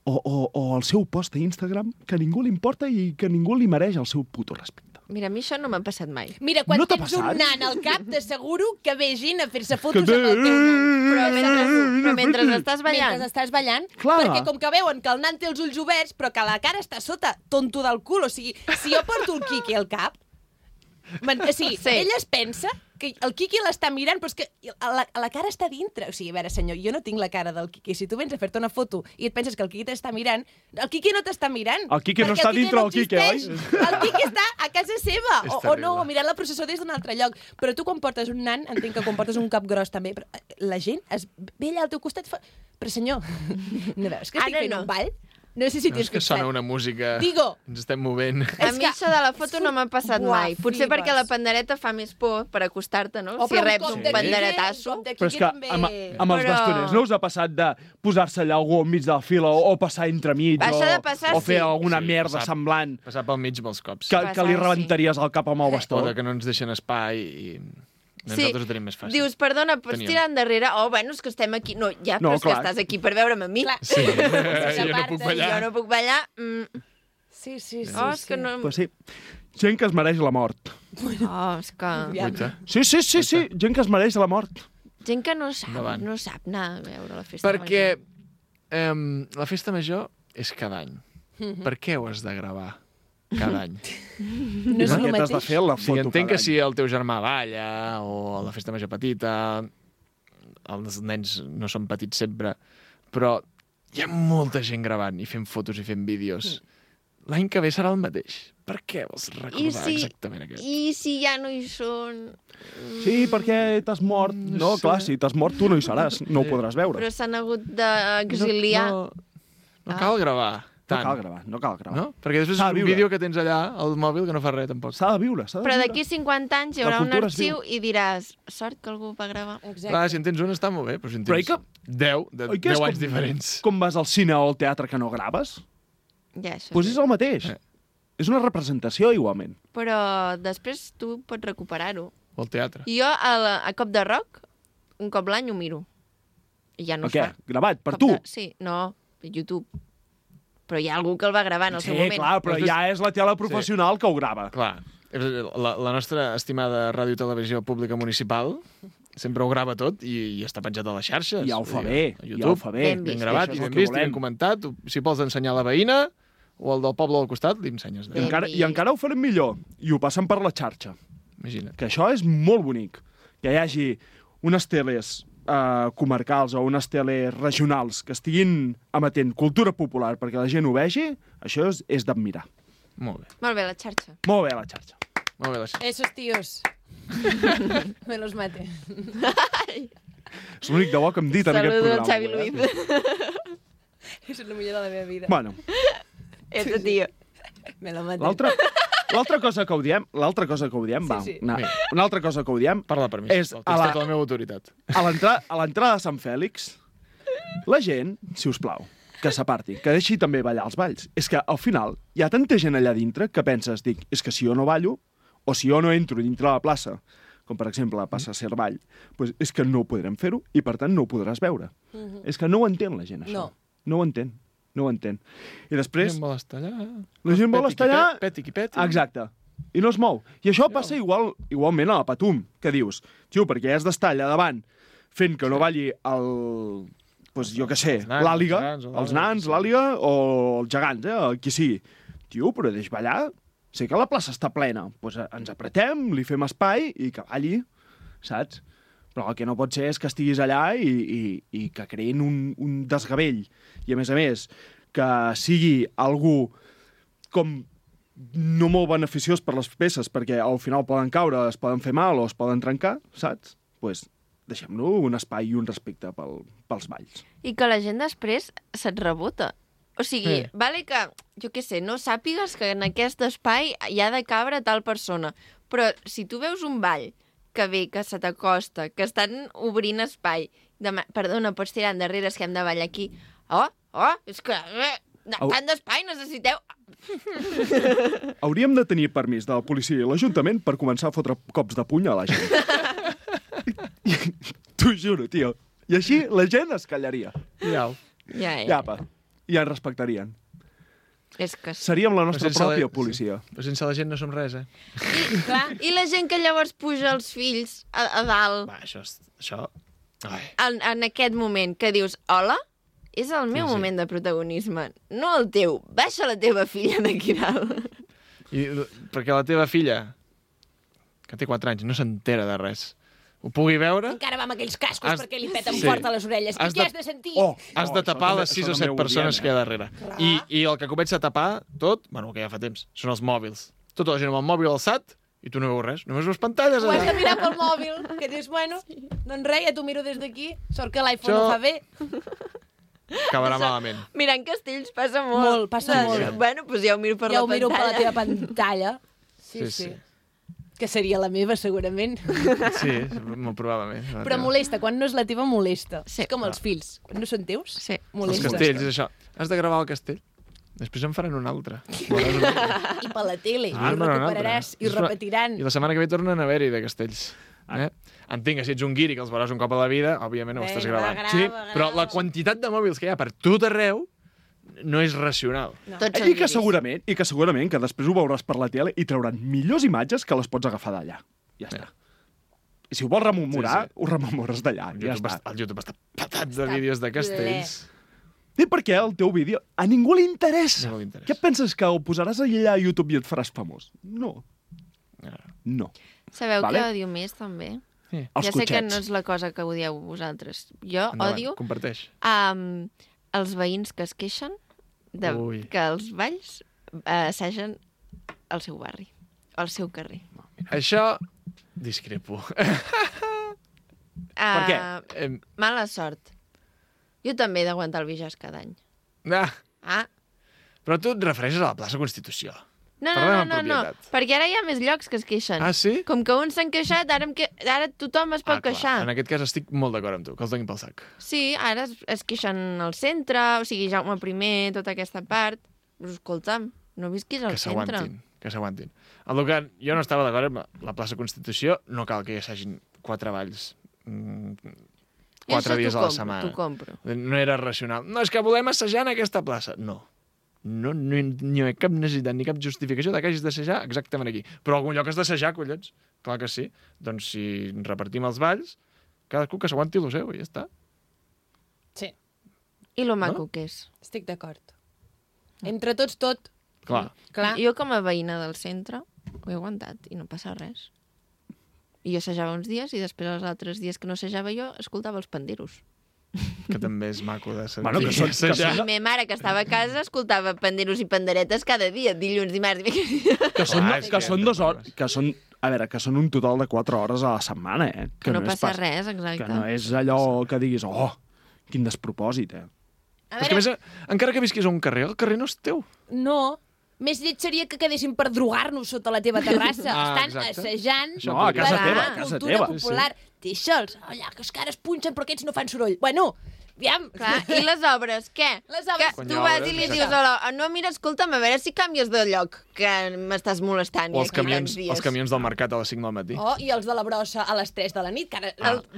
o el seu post a Instagram que a ningú li importa i que ningú li mereix el seu puto respecte. Mira, a mi això no m'ha passat mai. Mira, quan No t'ha tens un passat? nan al cap, t'asseguro que ve gent a fer-se fotos amb el teu nan. Però mentre estàs ballant. Mentre estàs ballant, Clar. perquè com que veuen que el nan té els ulls oberts, però que la cara està sota, tonto del cul. O sigui, si jo porto el Quiqui al cap, o sigui, Sí. ell es pensa que el Quiqui l'està mirant, però és que la cara està dintre. O sigui, a veure, senyor, jo no tinc la cara del Quiqui. Si tu vens a fer-te una foto i et penses que el Quiqui t'està mirant, el Quiqui no t'està mirant. El Quiqui no perquè està dintre del Quiqui, oi? El Quiqui està a casa seva, És o no, terrible. o mirant la processó des d'un altre lloc. Però tu quan portes un nan, entenc que quan portes un cap gros també, però la gent ve allà al teu costat i fa... Però senyor, no veus que estic Ara fent no. un ball? No sé si No, t'hi és que sona una música... Digo. Ens estem movent. A mi això de la foto no m'ha passat Buah, mai. Potser flipes. perquè la pandereta fa més por per acostar-te, no? Oh, Si però reps cop un de panderetasso. Quiqui, Però és que també... amb els Però- bastoners no us ha passat de posar-se allà algú enmig de la fila o passar entremig Això de passar, o fer sí. alguna Sí, merda passar- semblant Passar pel mig molts cops. que li Passar, rebentaries el cap amb el bastó? O de que no ens deixen espai i... Nosaltres ho tenim més fàcil. Dius, perdona, pots Teníem. tirar endarrere? Oh, bueno, és que estem aquí. No, ja, No, però és que clar. estás aquí per veure'm a mi. Clar. Sí, jo no S'aparten, puc ballar. Jo no puc ballar. Sí, sí, sí. Oh, és que no... Pues sí. Gent que es mereix la mort. Oh, és que... Guaita. Sí, gent que es mereix la mort. Gent que no sap, Endavant. no sap anar a veure la festa Perquè major. la festa major és cada any. Per què ho has de gravar cada any? No és el Què t'has de mateix. fer la Sí, foto entenc cada que si el teu germà balla o a la festa major petita, els nens no són petits sempre, però hi ha molta gent gravant i fent fotos i fent vídeos. L'any que ve serà el mateix. Per què vols recordar exactament aquest? I si ja no hi són? Sí, perquè t'has mort. No, clar, si t'has mort tu no hi seràs, no ho podràs veure. Però s'han hagut d'exiliar. No cal gravar No tant. cal gravar, no cal gravar. No? Perquè després S'ha és de un viure. vídeo que tens allà al mòbil que no fa res, tampoc. S'ha de viure, s'ha de Però viure. d'aquí 50 anys hi La haurà un cultura es arxiu i diràs, sort que algú va gravar. Exacte. Clar, si en tens un està molt bé, però si en Però tens i que- 10, de Oi que és 10 anys com- diferents. Com vas al cine o al teatre que no graves? Ja, això Doncs sí. és el mateix. És una representació, igualment. Però després tu pots recuperar-ho. O al teatre. I jo, a Cop de Rock, un cop l'any ho miro. I ja no O es què? fa. Gravat, per Cop tu? Sí, no, per YouTube. Però hi ha algú que el va gravar en el Sí, seu moment. clar, però Després- ja és la tele professional que ho grava. Clar, la nostra estimada ràdio i televisió pública municipal sempre ho grava tot i està penjat a les xarxes. Ja ho fa Vull bé, dir, a ja YouTube, ho fa bé. Ben ben vist. gravat Això i és ben el que vist i ben volem. comentat. Si vols ensenyar la veïna o el del poble del costat, li ensenyes. Ben I encara ho farem millor. I ho passen per la xarxa. Imagina't. Que això és molt bonic. Que hi hagi unes teles comarcals o unes teles regionals que estiguin emetent cultura popular perquè la gent ho vegi, això és d'admirar. Molt bé. Molt bé, la xarxa. Molt bé, la xarxa. Molt bé, la xarxa. Esos tíos. Me los mate. És l'únic de bo que hem dit en aquest Saludo programa. al Xavi avui, Luiz. És el millor de la meva vida. Bueno, Ese tio. Me lo mate. l'altra cosa que ho diem, va, sí. una altra cosa que ho diem, Parla per mi, És sisplau. a Tens la- tota la meva autoritat. a l'entrada de Sant Fèlix, la gent, si us plau, que s'aparti, que deixi també ballar els balls. És que al final hi ha tanta gent allà dintre que penses, dic, és que si jo no ballo, o si jo no entro dintre de la plaça, com per exemple la plaça Cervall, doncs és que no podrem fer-ho i per tant no ho podràs veure. És que no ho entén la gent, això. No. No ho entén. No ho entén. I La després... gent vol estar allà. La gent vol estar allà... Peti qui peti. Exacte. I no es mou. I això passa igualment a la Patum, que dius, tio, perquè has d'estar allà davant fent que no balli el... Pues, jo què sé, Els nans, l'àliga, els els nans, l'àliga o els gegants, qui sigui. Tio, però deix ballar. Sé que la plaça està plena. Pues ens apretem, li fem espai i que balli, saps? Però el que no pot ser és que estiguis allà i que creïn un desgavell. I, a més, que sigui algú com no molt beneficiós per les peces, perquè al final poden caure, es poden fer mal o es poden trencar, saps? Doncs pues, deixem-lo un espai i un respecte pels balls. I que la gent després se't rebota. O sigui, vale que, jo què sé, no sàpigues que en aquest espai hi ha de cabre tal persona, però si tu veus un ball que ve, que se t'acosta, que estan obrint espai, perdona, pots tirar endarrere, és que hem de ballar aquí. Oh, és que... tant d'espai necessiteu... Hauríem de tenir permís de la policia i l'Ajuntament per començar a fotre cops de puny a la gent. T'ho juro, tio. I així la gent es callaria. Ja. Ja, apa. i ens respectarien. És que... Seríem la nostra pròpia policia. Però sense la gent no som res, I la gent que llavors puja els fills a dalt... Va, això... En aquest moment que dius, hola, és el meu moment de protagonisme, no el teu. Baixa la teva filla d'aquí dalt. Perquè la teva filla, que té 4 anys, no s'entera de res, ho pugui veure... Encara va amb aquells cascos perquè li peten fort a les orelles. I què has de sentir? Has de tapar les 6 o 7 persones que hi ha darrere. I el que comença a tapar tot, bueno, que ja fa temps, són els mòbils. Tota la gent amb el mòbil alçat i tu no veus res, només veus pantalles. Ho has de mirar pel mòbil, que dius, bueno, doncs res, ja t'ho miro des d'aquí. Sort que l'iPhone ho fa bé. Acabarà malament. Mirant castells passa molt. Passa molt. Bueno, doncs ja ho miro per la pantalla. Ja ho miro per la teva pantalla. Sí. Que seria la meva, segurament. Sí, molt probablement. Però molesta, quan no és la teva, molesta. Sí. És com els fills. Quan no són teus, Els molesta. castells, és això. Has de gravar el castell. Després en faran un altre. I per la tele. I recuperaràs, i repetiran. I la setmana que ve tornen a haver-hi de castells. Entenc que si ets un guiri que els veuràs un cop a la vida, òbviament no ho estàs gravant. Sí, però la quantitat de mòbils que hi ha per tot arreu no és racional. No. I que segurament que després ho veuràs per la tele i trauran millors imatges que les pots agafar d'allà. Ja està. I si ho vols rememorar, ho rememores d'allà. Ja està. El YouTube està patat de vídeos de castells. I per què el teu vídeo a ningú li interessa? Què penses, que ho posaràs allà a YouTube i et faràs famós? No. Sabeu què odio més, també? Ja sé que no és la cosa que odieu vosaltres. Jo odio... Comparteix. Els veïns que es queixen que els balls assegen al seu barri, al seu carrer. Això discrepo. Per què? Mala sort. Jo també he d'aguantar el Bijàs cada any. Però tu et refereixes a la plaça Constitució. No, perquè ara hi ha més llocs que es queixen. Ah, sí? Com que uns s'han queixat, ara tothom es pot queixar. En aquest cas estic molt d'acord amb tu, que els donin pel sac. Sí, ara es queixen al centre, o sigui, Jaume I, tota aquesta part. Però escolta'm, no visquis al centre. Que s'aguantin. El que jo no estava d'acord amb la plaça Constitució, no cal que hi hagin 4 balls 4 dies a la setmana. T'ho compro. No era racional. No, és que volem assajar en aquesta plaça. No hi ha cap necessitat ni cap justificació de que hagis d'assajar exactament aquí. Però algun lloc has d'assajar, collons. Clar que sí. Doncs si repartim els balls, cadascú que s'aguanti el seu i ja està. Sí. I lo maco que és. Estic d'acord. Entre tots, tot. Clar. Jo com a veïna del centre ho he aguantat i no passa res. I jo assajava uns dies i després els altres dies que no assajava jo escoltava els panderos. Que també és maco de sentir. Bueno, La meva mare, que estava a casa, escoltava panderos i panderetes cada dia, dilluns, dimarts... Que són 2 hores... Que són un total de 4 hores a la setmana, Que no passa res, exacte. Que no és allò que diguis, quin despropòsit, Però és que, a més, encara que visquis a un carrer, el carrer no és teu. No. Més lleig seria que quedéssim per drogar-nos sota la teva terrassa. Estan assajant a casa teva, cultura popular. Deixa'ls. Allà, que els cares punxen, però aquests no fan soroll. Bueno, aviam. Clar, i les obres, què? Les obres. Que tu vas i li dius, no, mira, escolta'm, a veure si canvies de lloc, que m'estàs molestant. O els camions del mercat a les 5 del matí. I els de la brossa a les 3 de la nit, que ara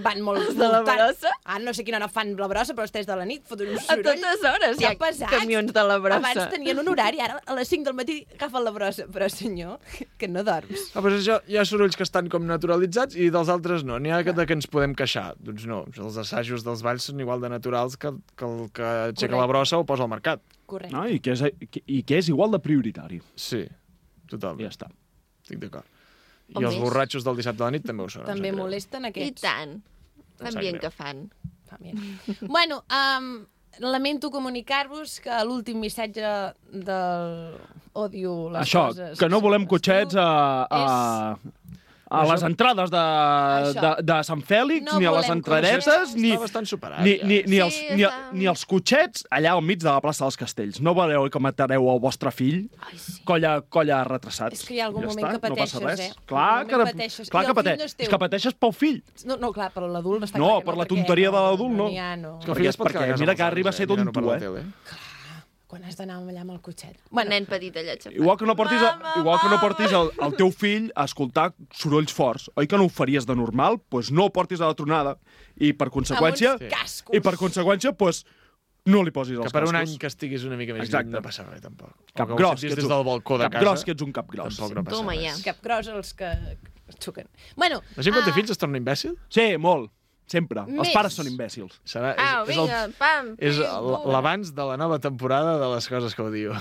van molt... Els de la brossa? No sé quina hora fan la brossa, però a les 3 de la nit foten un soroll. A totes hores hi ha camions de la brossa. Abans tenien un horari, ara a les 5 del matí agafen la brossa. Però, senyor, que no dorms. Però això, hi ha sorolls que estan com naturalitzats i dels altres no. N'hi ha de que ens podem queixar. Doncs no, els assajos dels balls són igual de naturals que el que aixeca la brossa o posa al mercat. Correcte. No, i que és igual de prioritari. Sí, totalment. Ja està. Estic d'acord. I els borratxos del dissabte a la nit també ho són. També molesten aquests. I tant. L'ambient que fan. Bueno, lamento comunicar-vos que l'últim missatge del odio les coses... Això, que no volem cotxets a les entrades de Sant Fèlix, ni a les entradetes, ni els cotxets allà al mig de la plaça dels Castells. No voleu que matareu el vostre fill? Colla retrasats. És que hi ha algun moment que pateixes, Clar que pateixes. És que pateixes pel fill. No, clar, per l'adult no està clar. No, per la tonteria de l'adult no. És que el fill es pot quedar a casa. Mira que arriba a ser tonto, quan has d'anar allà amb el cotxet. Nen petit allà xapat. Igual que no portis el teu fill a escoltar sorolls forts. Oi que no ho faries de normal? Doncs no ho portis a la tronada. I per conseqüència, doncs, no li posis els Que per un cascos. any que estiguis una mica més Exacte. lluny no passa res, tampoc. Cap O que ho gros, sentis que ets des del balcó de casa. Capgros, que ets un capgros. Tampoc no passa Toma, ja. res. Cap gros els que xuquen. Bueno, La gent quan té fills es torna imbècil? Sí, molt. Sempre. Els Més. pares són imbècils. Serà, Au, vinga, pam. és pim, l'abans de la nova temporada de les coses que odio.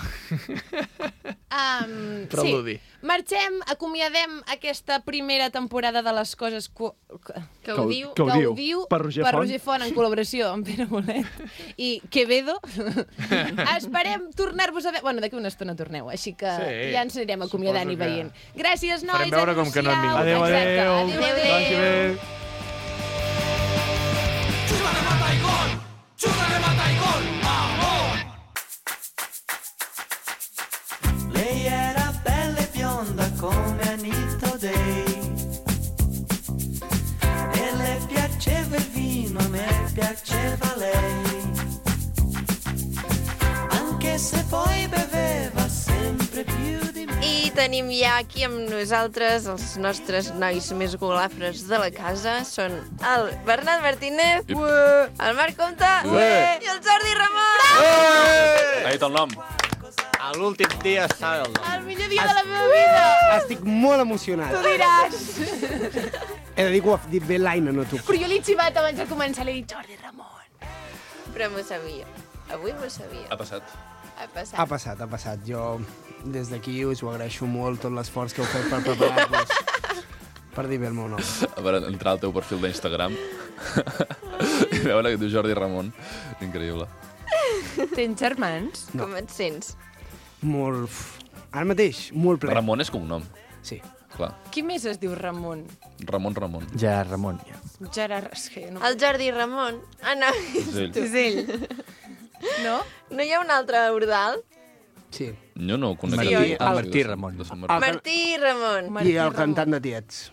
Preludi. sí. Marxem, acomiadem aquesta primera temporada de les coses Que ho diu. Que ho diu. diu Per Roger Font. en col·laboració amb Pere Bolet i Quevedo. Esperem tornar-vos a veure... Bueno, d'aquí una estona torneu, així que Sí, ja ens anirem acomiadant i suposo que- veient. Gràcies, nois. Farem veure com que no han vingut. Adéu, Exacte. adéu. Adéu, Vagi adéu. bé. Lei era bella e bionda come Anita O'Day e le piaceva il vino, a me piaceva lei, anche se poi beveva sempre più di me. I tenim ja aquí amb nosaltres els nostres nois més golafres de la casa. Són el Bernat Martínez, el Marc Comte i el Jordi Ramon. Ha dit el nom. A l'últim dia sabe el nom. El millor dia de la meva vida. Estic molt emocionat. Tu diràs. He de dir que ho ha dit bé l'Aina, no tu. Però jo l'he xivat abans de començar, l'he dit Jordi Ramon. Però m'ho sabia. Avui m'ho sabia. Ha passat. Ha passat. Ha passat, ha passat. Jo, des d'aquí, us ho agraeixo molt, tot l'esforç que heu fet per preparar-vos, per dir bé el meu nom. A veure, entrar al teu perfil d'Instagram i veure que diu Jordi Ramon. Increïble. Tens germans? No. Com et sents? Molt... Ara mateix, molt ple. Ramon és cognom. Sí. Clar. Qui més es diu Ramon? Ramon. Ja, Ramon. Gerard... És que no... El Jordi Ramon. Ah, no. És ell. És ell. No? No hi ha un altre Ordal? Sí. Jo no ho conec. Sí, aquí. oi? El Martí Ramon. De Sant Martí. Martí Ramon. I el cantant de Tiets.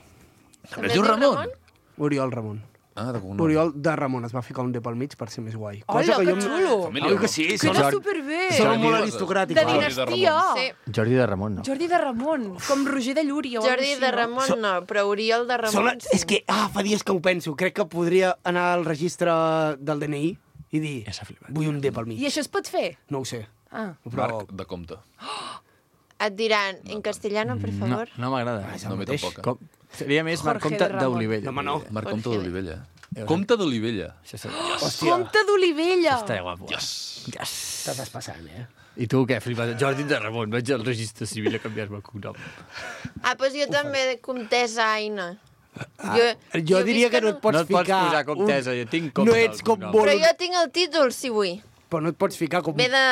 També es diu Ramon? Oriol Ramon. Ah, de cognom. Oriol de Ramon. Es va ficar un D pel mig per ser més guai. Hola, que em- xulo! Família, Oi que sí? Queda superbé! Són molt aristocràtics. De Jordi de dinastia! Sí. Jordi de Ramon, no. Jordi de Ramon, com Roger de Llúria. o Jordi alguna de així, Ramon no, però Oriol de Ramon sí. És que, fa dies que ho penso. Crec que podria anar al registre del DNI i dir, Ja s'ha flipat. vull un D pel I mig. això es pot fer? No ho sé. Ah. Però... Marc de Comte. Et diran, en castellano, per favor. No m'agrada. És el No, a mi mateix. tampoc. Com... Seria més Marc Jorge Comte de Ramon. d'Olivella. No, home, no. Marc Comte Jorge. d'Olivella. Comte d'Olivella. Això seria... Comte d'Olivella! Està guapo. Yes. T'estàs passant, eh? I tu què, flipat? Jordi de Ramon, vaig al registre civil a canviar-me el cognom. Ah, doncs jo també, comtessa Aina. Jo diria visc que no en et pots No et pots ficar... posar comtesa, jo tinc comte No ets al com cognom. Però vol... jo tinc el títol, si vull. Però no et pots ficar com... Ve de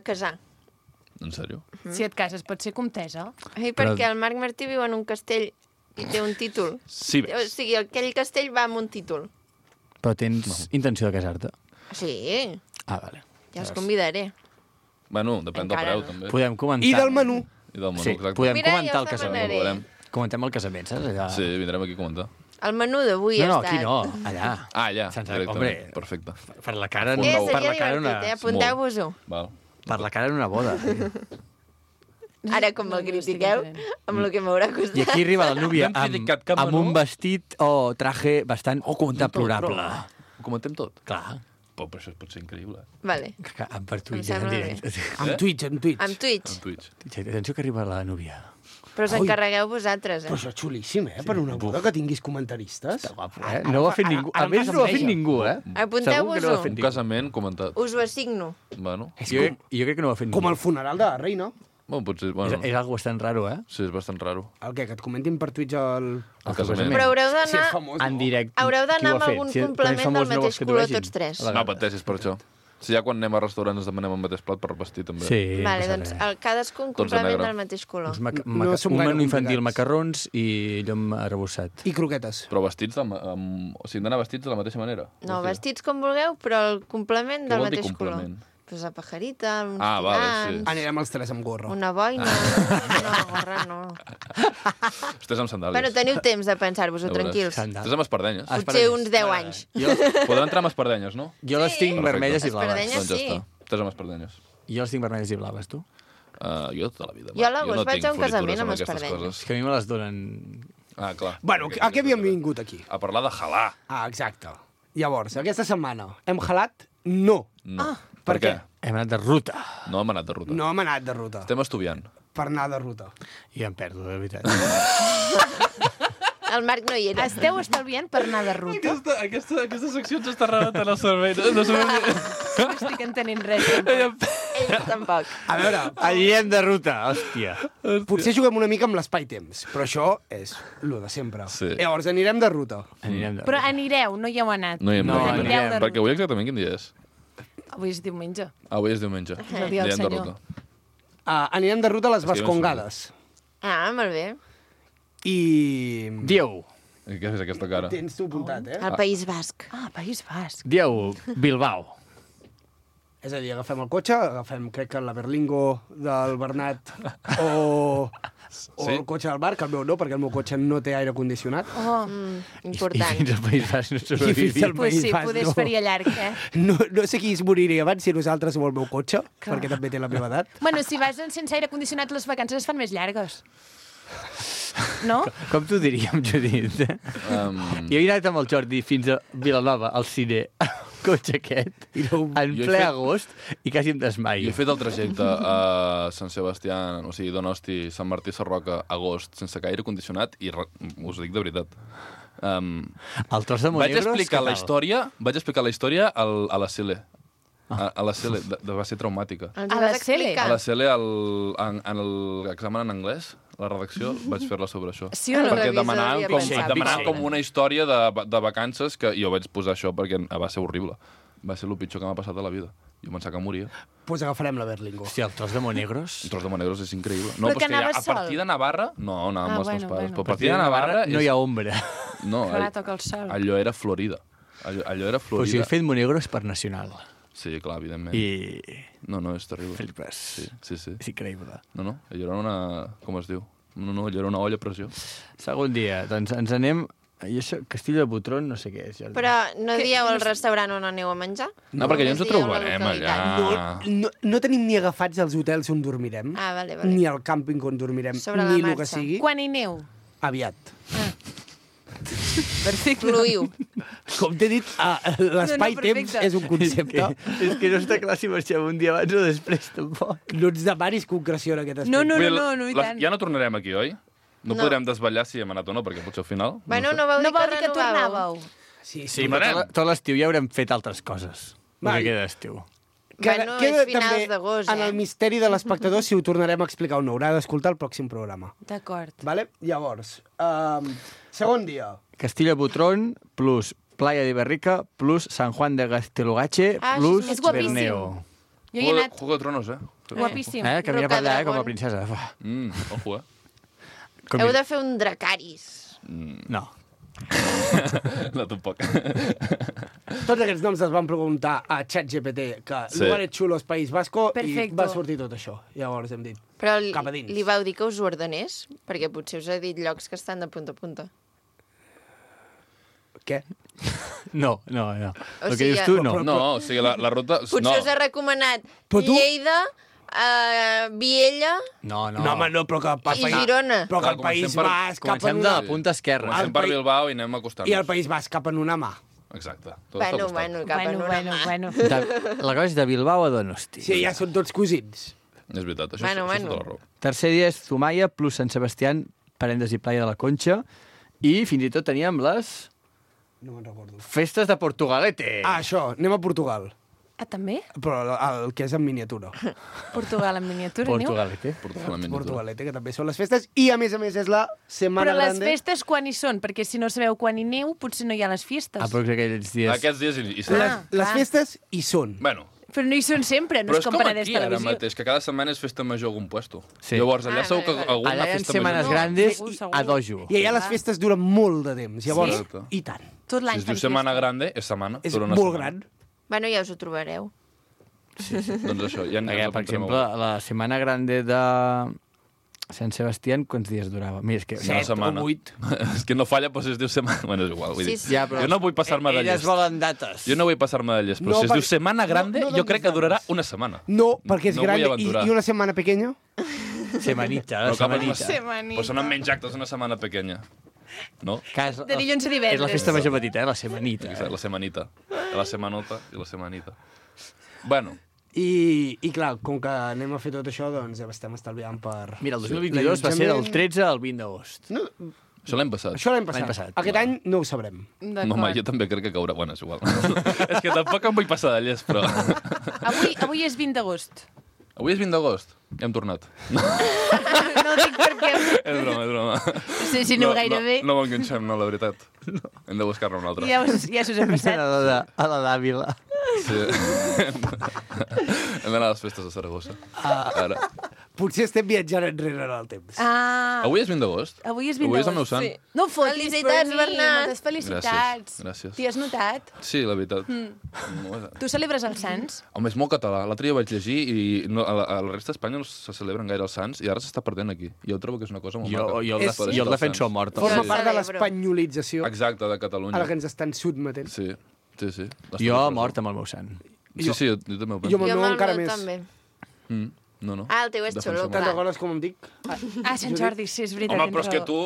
casar. En sèrio? Si et cases, pot ser comtesa. Ai, perquè el Marc Martí viu en un castell i té un títol. Sí, O sigui, aquell castell va amb un títol. Però tens intenció de casar-te? Sí, Ah, vale. ja els convidaré. Bueno, depèn del Encara preu, no. també. Podem comentar... I del menú. I del menú, Sí, exacte. podem Mira, comentar ja el us casament. demanaré. Veurem. Comentem el casament, saps? Allà... Sí, vindrem aquí a comentar. El menú d'avui No, no, ha aquí estat... no, allà. Ah, allà, Sense- directament. hombre. Perfecte. Per la cara, Un no, nou. per seria la cara divertit, una... Apunteu-vos-ho. Val. Per la cara en una boda. Ara, com el critiqueu, amb el que m'haurà costat. I aquí arriba la núvia No hem criticat cap amb menú. un vestit o traje bastant deplorable. Ho comentem tot? Clar, Però això pot ser increïble. Vale. que per Twitch Em en sembla directe. Amb Twitch, amb Twitch. Amb Twitch. En Twitch. Atenció que arriba la núvia. Però us encarregueu vosaltres, Però eh? això és xulíssim, eh? Per una boda que tinguis comentaristes. Guapo, eh? No ho ha fet ningú. A ara més, em no ho ha fet enveja. ningú, eh? Segur que no ho ha Apunteu-vos-ho. fet Un ningú. casament comentat. Us ho assigno. Bueno, Jo crec que no ho ha fet ningú. Com el funeral de la reina. bueno potser... És, Bueno, és algo bastant raro, eh? sí, és bastant raro. El què? Que et comentin per Twitch el... El casament. Però haureu Si d'anar... és famós, En directe. Haureu Qui d'anar ho ha amb fet? algun Si és complement famós, del no mateix vols que t'ho color vegin? tots tres. A la No gana. pateixis per això. Si ja quan anem a restaurants ens demanem el mateix plat per vestir, també. Sí. Vale, passa doncs res. cadascun Tots de complement negre. del mateix color. Uns No som un gaire menú infantil, complicats. macarrons i llom arrebossat. I croquetes. Però vestits, o sigui, hem d'anar vestits de la mateixa manera. No, vestits com vulgueu, però el complement Què del vol dir mateix color. complement? Pues la pajarita, uns Ah, vale, tirants, Anirem els tres amb gorra. una boina... No, gorra no. Estàs amb sandàlies. Bueno, teniu temps de pensar-vos-ho, Ja veuràs. tranquils. Estàs amb espardenyes. Potser uns 10 anys. Podran entrar amb espardenyes, no? Jo les tinc Perfecte. vermelles i blaves. Espardenyes. Doncs ja sí. està. Estàs amb espardenyes. Jo les tinc vermelles i blaves, tu? Jo tota la vida. Jo a l'agost vaig tinc a un casament floritures amb aquestes espardenyes. És coses. que a mi me les donen... Ah, clar. Bueno, a què havíem vingut aquí? A parlar de halà. Ah, exacte. Llavors, aquesta setmana hem halat? No. No. Per què? Hem anat de ruta. No hem anat de ruta. No hem anat de ruta. Estem estudiant. Per anar de ruta. I em perdo, de veritat. El Marc no hi era. Esteu estalviant per anar de ruta? Aquesta secció ens està rebentant el cervell. No No estic entenent res. Tampoc. Ell tampoc. A veure, Anirem de ruta, hòstia. potser juguem una mica amb l'espai-temps, però això és lo de sempre. Sí. Llavors, anirem de ruta. Anirem de Però ruta. anireu, no hi heu anat. No hi hem No, anat. anirem de Perquè avui exactament quin dia és? Avui és diumenge. Avui és diumenge. És el dia del Anirem de Senyor. ruta. Anirem de ruta a les És que jo no Vascongades. Ah, molt bé. I... Dieu. I què és aquesta cara? Tens tu apuntat, Al País Basc. Ah, País Basc. Dieu, Bilbao. És a dir, agafem el cotxe, agafem, crec que la Berlingo del Bernat o Sí? el cotxe del Marc, que el meu no, perquè el meu cotxe no té aire condicionat. Oh, I Important. fins al País Basc no I fins al sobrevivim. pues sí, País Basc, poder no. es faria llarg, eh? No sé qui es moriria abans, si nosaltres o el meu cotxe, perquè també té la meva edat. Bueno, si vas sense aire condicionat, les vacances es fan més llargues. No? Com t'ho diríem, Judit? Jo he anat amb el Jordi fins a Vilanova, al cine, el cotxe aquest, I no... en Jo he ple fet- agost, i quasi em Jo he desmaio. fet el trajecte a Sant Sebastià, o sigui, Donosti, Sant Martí, Sarroca, agost, sense gaire condicionat, i us ho dic de veritat. El tros de Vaig Monegros, explicar què la tal? història a la CL. A la CL, va ser traumàtica. Els A vas la explicar? A la CL, en l'examen en anglès, la redacció, vaig fer-la sobre això. Sí o no? Perquè revisor demanaven havia com, pensat. demanaven com una història de vacances que jo vaig posar això perquè va ser horrible. Va ser el pitjor que m'ha passat a la vida. Jo pensava que moria. Pues agafarem la Berlingo. Hòstia, el tros de Monegros... Un tros de Monegros és increïble. No, Però però que és que ja, anaves a partir de Navarra... No, anava amb els meus pares. Però a partir de Navarra... no hi ha ombra. No, Clar, toca el sol. allò era Florida. Allò era Però si Florida. he fet Monegros per nacional. Sí, clar, evidentment. I... No, és terrible. Flipes. Sí. És increïble. No, allò era una... Com es diu? No, allò era una olla a pressió. Segon dia, doncs ens anem... I això, Castillo de Botron, no sé què és. Jordi. Però no dieu el restaurant on aneu a menjar? No, perquè ja ens ho Només dieu la trobarem localitat. allà. No tenim ni agafats els hotels on dormirem, Ah, vale. ni el càmping on dormirem, Sobre la ni el que marxa. sigui. Quan hi aneu? Aviat. Perfecte. Fluïu. Com t'he dit, l'espai-temps perfecte. és un concepte. És que no està clar si marxem un dia abans o després, tampoc. No ens demanis concreció en aquest aspecte. No, Vull dir, i tant. Ja no tornarem aquí, oi? No podrem desvetllar si hem anat o no, perquè potser al final... Bueno, sé. no vau No dir vol que dir que renovàveu. tornàveu. Sí, Sí, però tot l'estiu ja haurem fet altres coses. Va. El que queda d'estiu. Bueno, queda és finals també d'agost, en el misteri de l'espectador si ho tornarem a explicar o no. Haurà d'escoltar el pròxim programa. D'acord. Vale? Llavors, segon dia. Castillo de Botron plus Playa de Berrica plus San Juan de Gastelugache Ah, plus és guapíssim. Berneo. Jo hi he anat Juego de Tronos, eh? guapíssim. Camina per allà com a Rocadragón. princesa. Ojo, eh? Com Heu de fer un Dracaris. No. No, tampoc. Tots aquests noms els van preguntar a ChatGPT, que Sí. lugares xulos País Vasco, Perfecto. i va sortir tot això. Llavors hem dit, Però Cap a dins. li vau dir que us ho ordenés? Perquè potser us ha dit llocs que estan de punta a punta. què? No. O El que sigui, dius tu, no. No, o sigui, la ruta... Potser no. us ha recomanat Però tu- Lleida, Viella No. No, home, no, però que per i Girona. Però que Clar, el País comencem per- Basc cap Comencem en de una... la punta esquerra. Comencem per País- Bilbao i anem acostant-nos. I el País Basc cap en una mà. Exacte. Tot està Bueno, acostat. cap en una mà. Bueno. La cosa és de Bilbao a Donosti. Sí, ja són tots cosins. És veritat, això, Bueno, això és bueno. tota la raó. Tercer dia és Zumaya plus Sant Sebastián, parèntesi Playa de la Conxa, i fins i tot teníem les No me'n recordo. festes de Portugalete. Ah, això, anem a Portugal. Ah, també? Però el que és en miniatura. Portugal en miniatura, aneu? Portugalete. Portugal en miniatura. Portugalete, que també són les festes. I, a més, és la Setmana Però les Grande. festes quan hi són? Perquè si no sabeu quan hi aneu, potser no hi ha les festes. Aprox aquells dies. Aquests dies i Les, Ah, les clar. festes hi són. Bueno, Però no hi són sempre, no però és és com com Penedès aquí ara Televisió. mateix, que cada setmana és festa major a algun puesto. Sí. Llavors, allà Ah, segur que vale, vale. alguna Allà hi ha festa setmanes major... grandes segur, segur. a dojo. I allà les festes duren molt de temps. Llavors, Sí? i tant. Tot Si l'any es diu fan setmana festa. grande, és setmana. És dura una molt setmana. gran. Bueno, ja us ho trobareu. Doncs això, ja Perquè, per exemple, la Setmana Grande de Sant Sebastián, quants dies durava? Mira, és que... Una setmana. o 8. És que no falla, però si es diu setmana... Bueno, és igual, vull dir. Sí. Ja, però Jo no vull passar-me de elles llest. volen dates. Jo no vull passar-me de llest, però No, si es diu perquè- setmana grande, no jo donis crec que durarà dates. una setmana. No, perquè és No vull gran aventurar. i una setmana pequeña. Semanita, Però cap a semanita. Però són menys actes una setmana pequeña. No? De dilluns a divendres. És la festa major petita, la semanita. La semanita. La semanota i la semanita. Bueno, I clar, com que anem a fer tot això, doncs ja estem estalviant per... Mira, el 2022 va ser del 13 al 20 d'agost. No, Això l'any passat. això l'any passat. Aquest any no ho sabrem. No, home, jo també crec que caurà. Bueno, és igual. És que tampoc em vull passar de llest, però... Avui és 20 d'agost. Avui és 20 d'agost. Ja hem tornat. No ho dic perquè... És broma. Sí, sí, no gairebé. No m'enganxem, no, la veritat. Hem de buscar-ne una altra. Ja s'us ha passat. A la d'Àvila. Sí. Hem d'anar a les festes de Saragossa. Ara. Potser estem viatjant enrere en el temps. Avui és 20 d'agost. Avui és 20 Avui és el d'agost. meu sant. Sí. No fotis, Felicitats, Bernat. Moltes felicitats. Gràcies. T'hi has notat? Sí, la veritat. Tu celebres els Sants? Home, és molt català. L'altre dia vaig llegir i no, a la resta d'Espanya no se celebren gaire els Sants i ara s'està perdent aquí. Jo trobo que és una cosa molt maca. Jo el defenso a mort. Forma part de l'espanyolització Exacte, de Catalunya. a la que ens estan sotmetent. Sí. Jo a mort amb el meu sant. Sí, jo també ho penso. Jo amb el meu encara més. també. No. Ah, el teu és xulo, Te'n recordes com em dic? Sant Jordi, sí, és veritat. Home, però és que tu...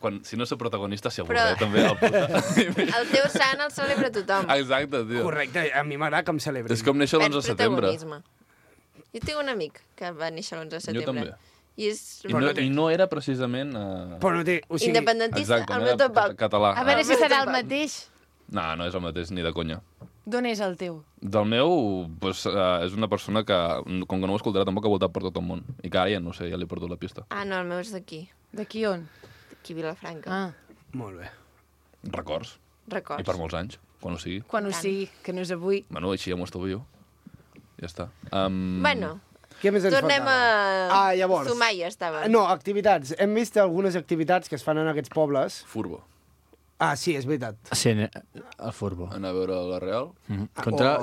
Bueno, si no soc protagonista, s'hi avorre, també. El teu sant el celebra tothom. Exacte, tio. Correcte, a mi m'agrada que em celebrin. És com néixer l'11 de setembre. Jo tinc un amic que va néixer l'11 de setembre. Jo també. I I no era precisament... Però no té... O sigui... Independentista, Exacte, el no meu era tampoc. català. A veure si serà el mateix. No, no és el mateix, ni de conya. D'on és el teu? Del meu, pues, és una persona que, com que no ho escoltarà, tampoc ha voltat per tot el món. I que ara ja no sé, ja li he perdut la pista. Ah, no, el meu és d'aquí. D'aquí on? D'aquí Vilafranca. Ah. Molt bé. Records. Records. I per molts anys, quan ho sigui. Quan ho sigui, que no és avui. Bueno, així ja m'ho estalvio. Ja està. Bueno, què més ens tornem faltava? a... Llavors. Zumaia estava. No, activitats. Hem vist algunes activitats que es fan en aquests pobles. Furbo. Ah, sí, és veritat. Sí, el Furbo. Anar a veure la Real. Contra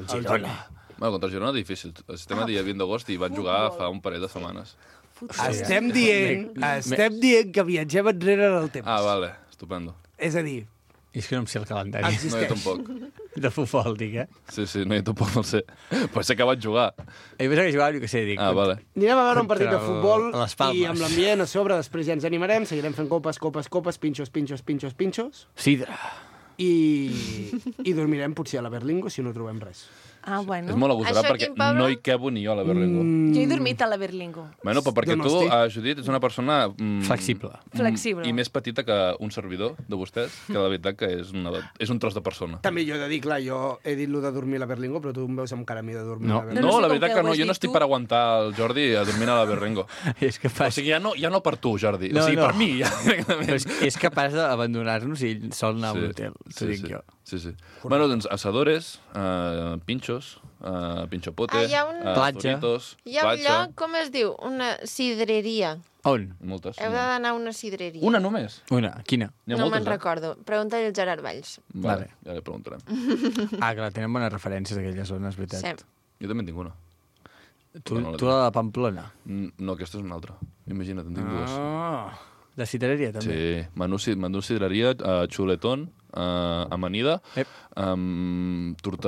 el Girona. Bueno, contra el Girona difícil. Estem a dia 20 d'agost i van jugar fa un parell de setmanes. Estem dient que viatgem enrere en el temps. Ah, vale. Estupendo. És a dir... És que no em sé el calendari. No, jo tampoc. De futbol, dic, Sí, no, jo tampoc no el sé. Però sé que vaig jugar. I pensava que jugava, jo què sé, dic. Ah, vale. Anirem a veure un partit de futbol i amb Palmes. l'ambient a sobre, després ja ens animarem, seguirem fent copes, pinxos. Sidra. I dormirem potser a la Berlingo si no trobem res. Ah, bueno. És molt agosarat perquè no hi quebo ni jo a la Berlingo. Jo he dormit a la Berlingo. Bueno, però perquè tu, Judit, ets una persona... Flexible. Flexible. I més petita que un servidor de vostès, que la veritat que és un tros de persona. També jo he de dir, clar, jo he dit lo de dormir a la Berlingo, però tu em veus amb cara a mi de dormir a la Berlingo. No, la veritat que no, jo no estic per aguantar el Jordi a dormir a la Berlingo. És capaç... O sigui, ja no per tu, Jordi. O sigui, per mi, ja. És capaç d'abandonar-nos i ell sol anar a un hotel, t'ho dic jo. Sí. Bueno, doncs, asadores, pinxos, pinxopote, platja. Doritos, Hi ha un lloc, com es diu? Una sidreria. On? Moltes. Heu d'anar a una sidreria. Una només? Una, quina? No me'n recordo. Pregunta-li al Gerard Valls. Vale, ja li preguntarem. Clar, tenen bones referències d'aquella zona, és veritat. Sí. Jo també en tinc una. Tu la de Pamplona? No, aquesta és una altra. Imagina't, en tinc dues. De sidreria, també? Sí, menú sidreria, xuletón, amanida,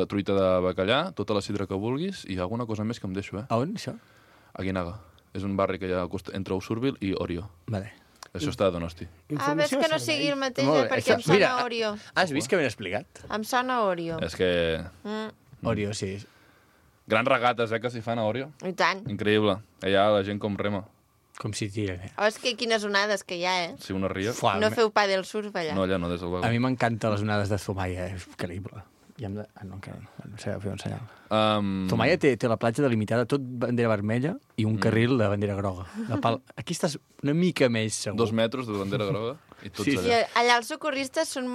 truita de bacallà, tota la sidra que vulguis i alguna cosa més que em deixo, A on, això? A Guinaga. És un barri que hi ha entre Usurbil i Orio. Vale. Això està a Donosti. Ah, ves que no sigui el mateix, perquè em sona Orio. Has vist que ben explicat? Em sona Orio. És que... Orio, sí. Grans regates, que s'hi fan a Orio. I tant. Increïble. Allà la gent com rema. Com si tira. Oh, és que quines onades que hi ha, Sí, una ria. No feu pàdel surf allà. No, allà no, des del vagó. A mi m'encanten les onades de Zumaia, és increïble. I hem de... no, encara no. No sé, fer un senyal. Zumaia té la platja delimitada, tot bandera vermella i un carril de bandera groga. Aquí estàs una mica més segur. 2 metres de bandera groga i tots allà. I allà els socorristes són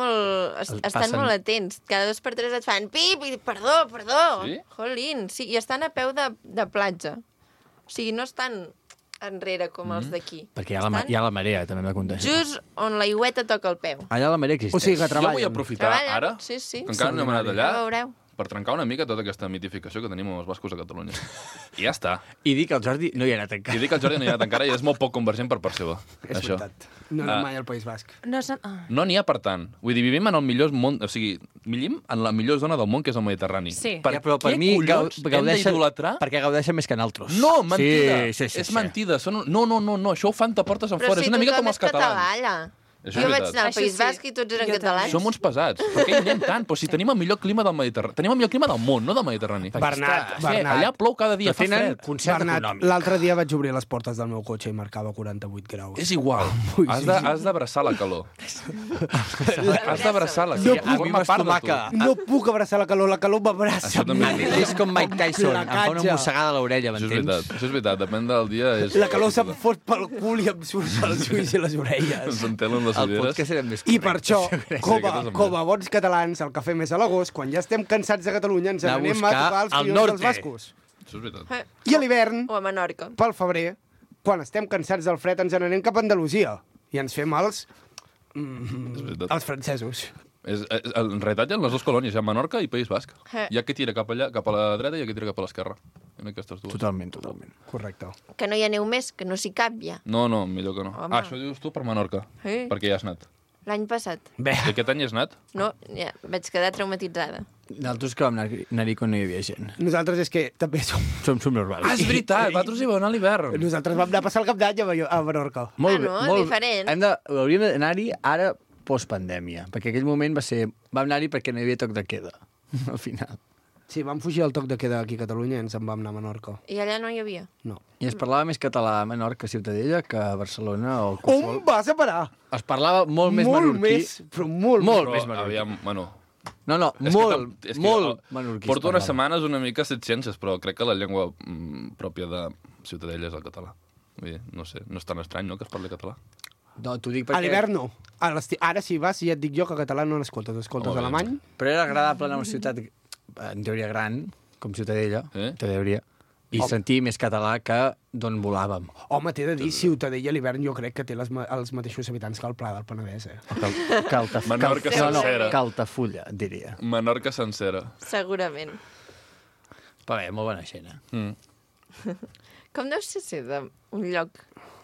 estan molt atents. Cada 2 per 3 et fan pip i perdó. Sí? Jolín, sí, i estan a peu de platja. O sigui, no estan enrere com els d'aquí. Perquè hi ha la marea, també m'ha contat. Just on l'aigüeta toca el peu. Allà la marea existeix. O sigui que Jo vull aprofitar ara, Sí. que encara no hem anat allà, Ja veureu. per trencar una mica tota aquesta mitificació que tenim amb els bascos a Catalunya. I ja està. I dic que el Jordi no hi ha anat encara. I dic que el Jordi no hi ha anat encara i és molt poc convergent per part seva. És veritat. No anem mai al País Basc. No n'hi ha per tant. Vull dir, vivim en el millor món... O sigui, vivim en la millor zona del món, que és el Mediterrani. Sí. Però per mi hem d'idolatrar? Perquè gaudeixen més que nosaltres. No, mentida. Sí. És mentida. No, això ho fan de portes en fora. És una mica com els catalans. Allà. Això Jo és vaig veritat. anar al Això País sí. Basc i tots eren Jo catalans. Som uns pesats. Per què hi anem tant? Però si tenim el millor clima del Mediterrani. Tenim el millor clima del món, no del Mediterrani. Bernat, Allà plou cada dia, fa Tenen fred. concert Bernat, econòmic. l'altre dia vaig obrir les portes del meu cotxe i marcava 48 graus. És igual. Has d'abraçar la calor. Has d'abraçar la calor. A mi m'estomaca. No puc abraçar la calor m'abraça. Això també És com Mike Tyson, em fa una mossegada a l'orella, Això és m'entens? veritat, això és veritat. Depèn del dia. És... La calor se'm fot pel cul i em surt els ulls i les orelles. Ens entenen les El ulleres. podcast era més I per això, aquest és com a bons catalans, el que fem és a l'agost, quan ja estem cansats de Catalunya, ens Anar a anem a buscar tocar els al crios norte. dels bascos. Això és veritat. I a l'hivern, O a Menorca. pel febrer, quan estem cansats del fred, ens n'anem cap a Andalusia. I ens fem És veritat. els francesos. En realitat hi ha les dues colònies, hi ha Menorca i País Basc. Eh. Hi ha que tira cap allà, cap a la dreta i hi ha que tira cap a l'esquerra. En aquestes dues. Totalment, totalment. Correcte. Que no hi ha neu més, que no s'hi cap ja. No, millor que no. Home. Això dius tu per Menorca, Sí. perquè ja has anat. L'any passat. Bé, I aquest any has anat? No, ja, vaig quedar traumatitzada. Nosaltres que vam anar-hi quan no hi havia gent. nosaltres és que també som... Som normals. Ah, és veritat, vosaltres hi vau anar a l'hivern. Nosaltres vam anar a passar el cap d'any a Menorca. Molt no, bé, molt diferent. Hauríem d'anar-hi ara postpandèmia, perquè aquell moment vam anar-hi perquè no hi havia toc de queda, al final. Sí, vam fugir del toc de queda aquí a Catalunya i ens en vam anar a Menorca. I allà no hi havia. No. I es parlava més català a Menorca, Ciutadella, que a Barcelona o qualsevol... On vas a parar? Es parlava molt més molt menorquí. més, però molt Molt Però, més menorquí. aviam, bueno... No, és molt, que molt menorquí. Porto es unes parlava. setmanes una mica set ciències, però crec que la llengua pròpia de Ciutadella és el català. Vull dir, no sé, no és tan estrany, no?, que es parli català. No, t'ho dic perquè... A l'hivern no. Ara si vas, ja et dic jo que català no n'escoltes. Escoltes Home, alemany. Però era agradable anar a una ciutat, en teoria gran, com Ciutadella, en teoria, i sentir més català que d'on volàvem. Home, t'he de dir, Ciutadella a l'hivern jo crec que té els mateixos habitants que el Pla del Penedès, eh? Menorca sencera. Caltafulla, diria. Menorca sencera. Segurament. Però bé, molt bona gent, Com deu ser d'un lloc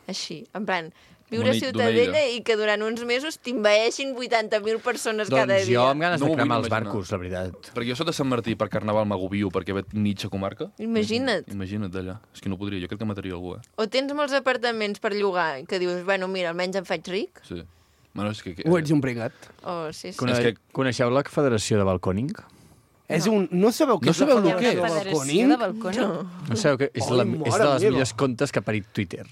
així? En plan, viure a D'una Ciutadella illa. i que durant uns mesos t'invaeixin 80.000 persones cada Doncs dia. jo amb ganes No de m'ho cremar vull els imaginar. barcos, la veritat. Perquè jo soc de Sant Martí per Carnaval m'agobio perquè ve mitja comarca. Imagina't. Imagina't d'allà. És que no podria, jo crec que mataria algú, O tens molts apartaments per llogar que dius, bueno, mira, almenys em faig ric. Sí. Bueno, és que... O ets un pringat. O sí, sí. És que- Coneixeu la Federació de Balcòning? És un... No sabeu què No és la sabeu el Federació que és? de Federació de Balcòning? No sabeu que és, Ai, és mare de les meva. millors contes que ha parit Twitter.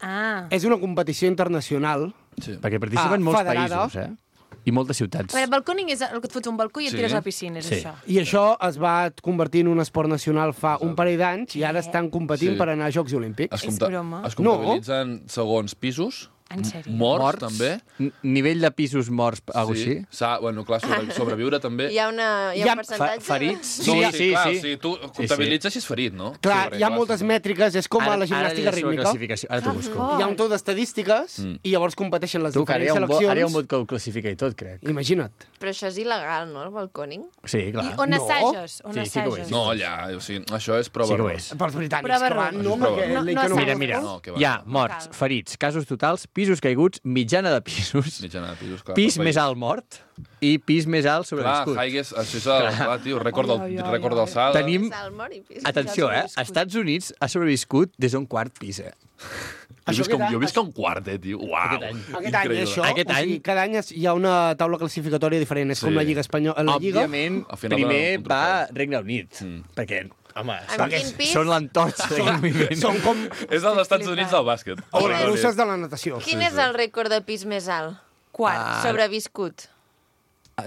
Ah. És una competició internacional. Sí. Perquè participen molts federada. països, I moltes ciutats. Però el balcòning és el que et fots un balcó i et Sí. tires a la piscina, és Sí. això. I això es va convertir en un esport nacional fa un parell d'anys i ara estan competint Sí. per anar a Jocs Olímpics. És broma? Es comptabilitzen segons pisos, En sèrio? morts, també. Nivell de pisos morts, alguna cosa així? Bueno, clar, sobreviure també. Hi ha un percentatge? Ferits? No, Sí, clar, sí. o sigui, tu comptabilitzes si és ferit, no? Clar, Sí, hi ha moltes mètriques, és com a la gimnàstica Ara rítmica. classificació. Ara t'ho busco. Hi ha un tot d'estadístiques i llavors competeixen les Tu, que ara hi diferents ha un seleccions. bot que ho classifica i tot, crec. Imagina't. Però això és il·legal, no, el balcòning? Sí, clar. I on No. assages? On Sí, sí que ho assages? és. No, allà, o sigui, això és prova. Sí que ho error. és. Pels britànics Prova que van, error. no? Això és prova Perquè error. l'Ica No, no no, Mira, mira, No, que va. hi ha morts, ferits, casos totals, pisos caiguts, mitjana de pisos, Mitjana de pisos, clar. pis per més país. alt mort i pis més alt Clar, sobreviscut. Haigues, això és el, clar, tio, rècord d'alçada. Tenim, Salmor i pis. atenció, als Estats Units ha sobreviscut des d'un quart pis, Jo visc a un quart, tio. Uau. Aquest any, això, Aquest o sigui, any- cada any hi ha una taula classificatòria diferent. És Sí. com la Lliga Espanyola. La Lliga, Òbviament, Al final primer donen un va trofeu. Regne Unit, perquè, home, Amb quin pis? són l'entorxa d'aquest moviment. són com És dels Estats Units del bàsquet. o les russes de la natació. Quin és el rècord de pis més alt? Quart. Sobreviscut.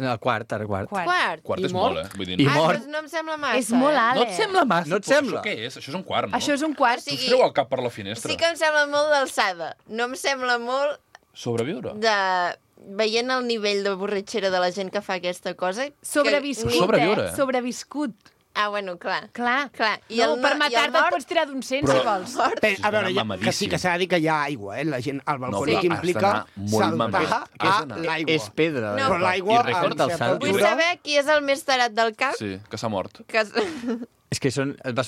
No, quart, ara quart. Quart. Quart I és mort? molt, Vull dir, I Ah, mort. doncs no em sembla massa. És molt alt, No et sembla massa? No et Però sembla? Això què és? Això és un quart, no? Això és un quart. Tu es treu el cap per la finestra. Sí que em sembla molt d'alçada. No em sembla molt Sobreviure. de... Veient el nivell de borratxera de la gent que fa aquesta cosa... Sobreviscut, Sobreviure. Sobreviscut. Ah, bueno, clar. Clar. Clar. I No, el per no- i el matar-te et nord? pots tirar d'un 100, Però- si vols. A veure, Està que sí que s'ha de dir que hi ha aigua, la gent al balcó però que has implica d'anar molt saltar mamat. a Has d'anar. l'aigua. És pedra. No. Però l'aigua, I rècord amb certa d'alçada. Vull altura, saber qui és el més tarat del cap. Sí, que s'ha mort. Que... És que va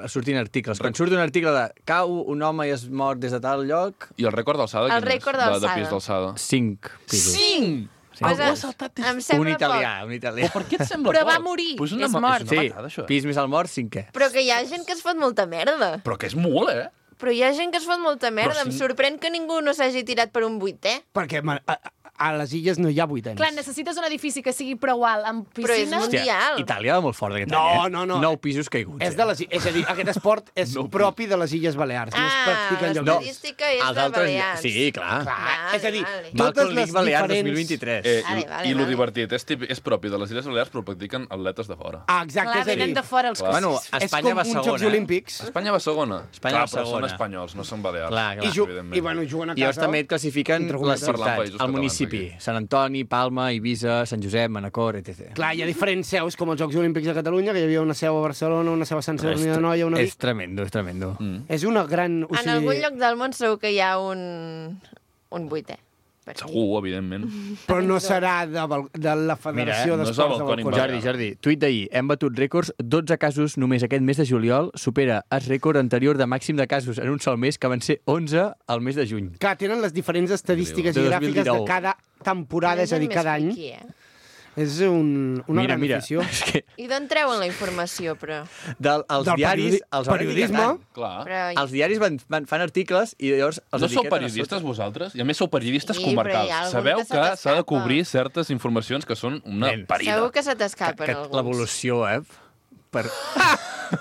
sortint articles. Quan surt un article de cau un home i es mor des de tal lloc, I el rècord d'alçada? El quin és? rècord De d'alçada. pis d'alçada. 5 pisos. 5! Pues, Algú ha saltat des... em sembla Un italià, poc. un italià. Per què et sembla Però va poc? morir, Pues és mort. És Sí, una matada, això. pis més al mort, 5è. Però que hi ha gent que es fot molta merda. Però que és molt, Però hi ha gent que es fot molta merda. Però Em si- sorprèn que ningú no s'hagi tirat per un 8è. perquè a les illes no hi ha vuitens. Clar, necessites un edifici que sigui prou alt, amb Però és piscina. mundial. Itàlia va molt fort aquest No, any, no, no. 9 pisos caiguts. És a dir, aquest esport és propi de les Illes Balears. No es practica enlloc. L'estadística és de Balears. Sí, clar. És a dir, Malcolm totes League les Balears diferents... 2023. I lo divertit, és propi de les Illes Balears, però practiquen atletes de fora. Ah, exacte, Clar, és a dir... venen de fora els cossos. Bueno, Espanya va És com uns Jocs segona. Olímpics. Espanya va segona. Espanya Clar, va però són segona. espanyols, no són balears. Clar, clar. evidentment. I bueno, juguen a I llavors casa. també et classifiquen Entre les cometes. Parlant ciutats, països el catalans, municipi. aquí. Sant Antoni, Palma, Eivissa, Sant Josep, Manacor, etc. Clar, hi ha diferents seus, com els Jocs Olímpics de Catalunya, que hi havia una seu a Barcelona, una seu a Sant Sadurní de Noia, una... És tremendo, és tremendo. És una gran... O En algun lloc del món segur que hi ha un vuitè. Segur, evidentment. Però no serà de la Federació no és el d'Esports de Balcònic Balcònic. Jordi, tuit d'ahir. Hem batut rècords, 12 casos només aquest mes de juliol, supera el rècord anterior de màxim de casos en un sol mes, que van ser 11 al mes de juny. Clar, tenen les diferents estadístiques De i gràfiques de 2019. cada temporada, és a dir, cada any. És una gran afició. És que I d'on treuen la informació, però? els Del diaris els van periodisme. etiquetant. Clar. Però... Els diaris fan articles i llavors els No sou etiqueten a periodistes, sota. vosaltres? I a més sou periodistes Sí, però hi ha comarcals. algun Sabeu que se que s'ha de t'escapa. cobrir certes informacions que són una Nen. parida. Segur que se t'escapen Que alguns. l'evolució, per...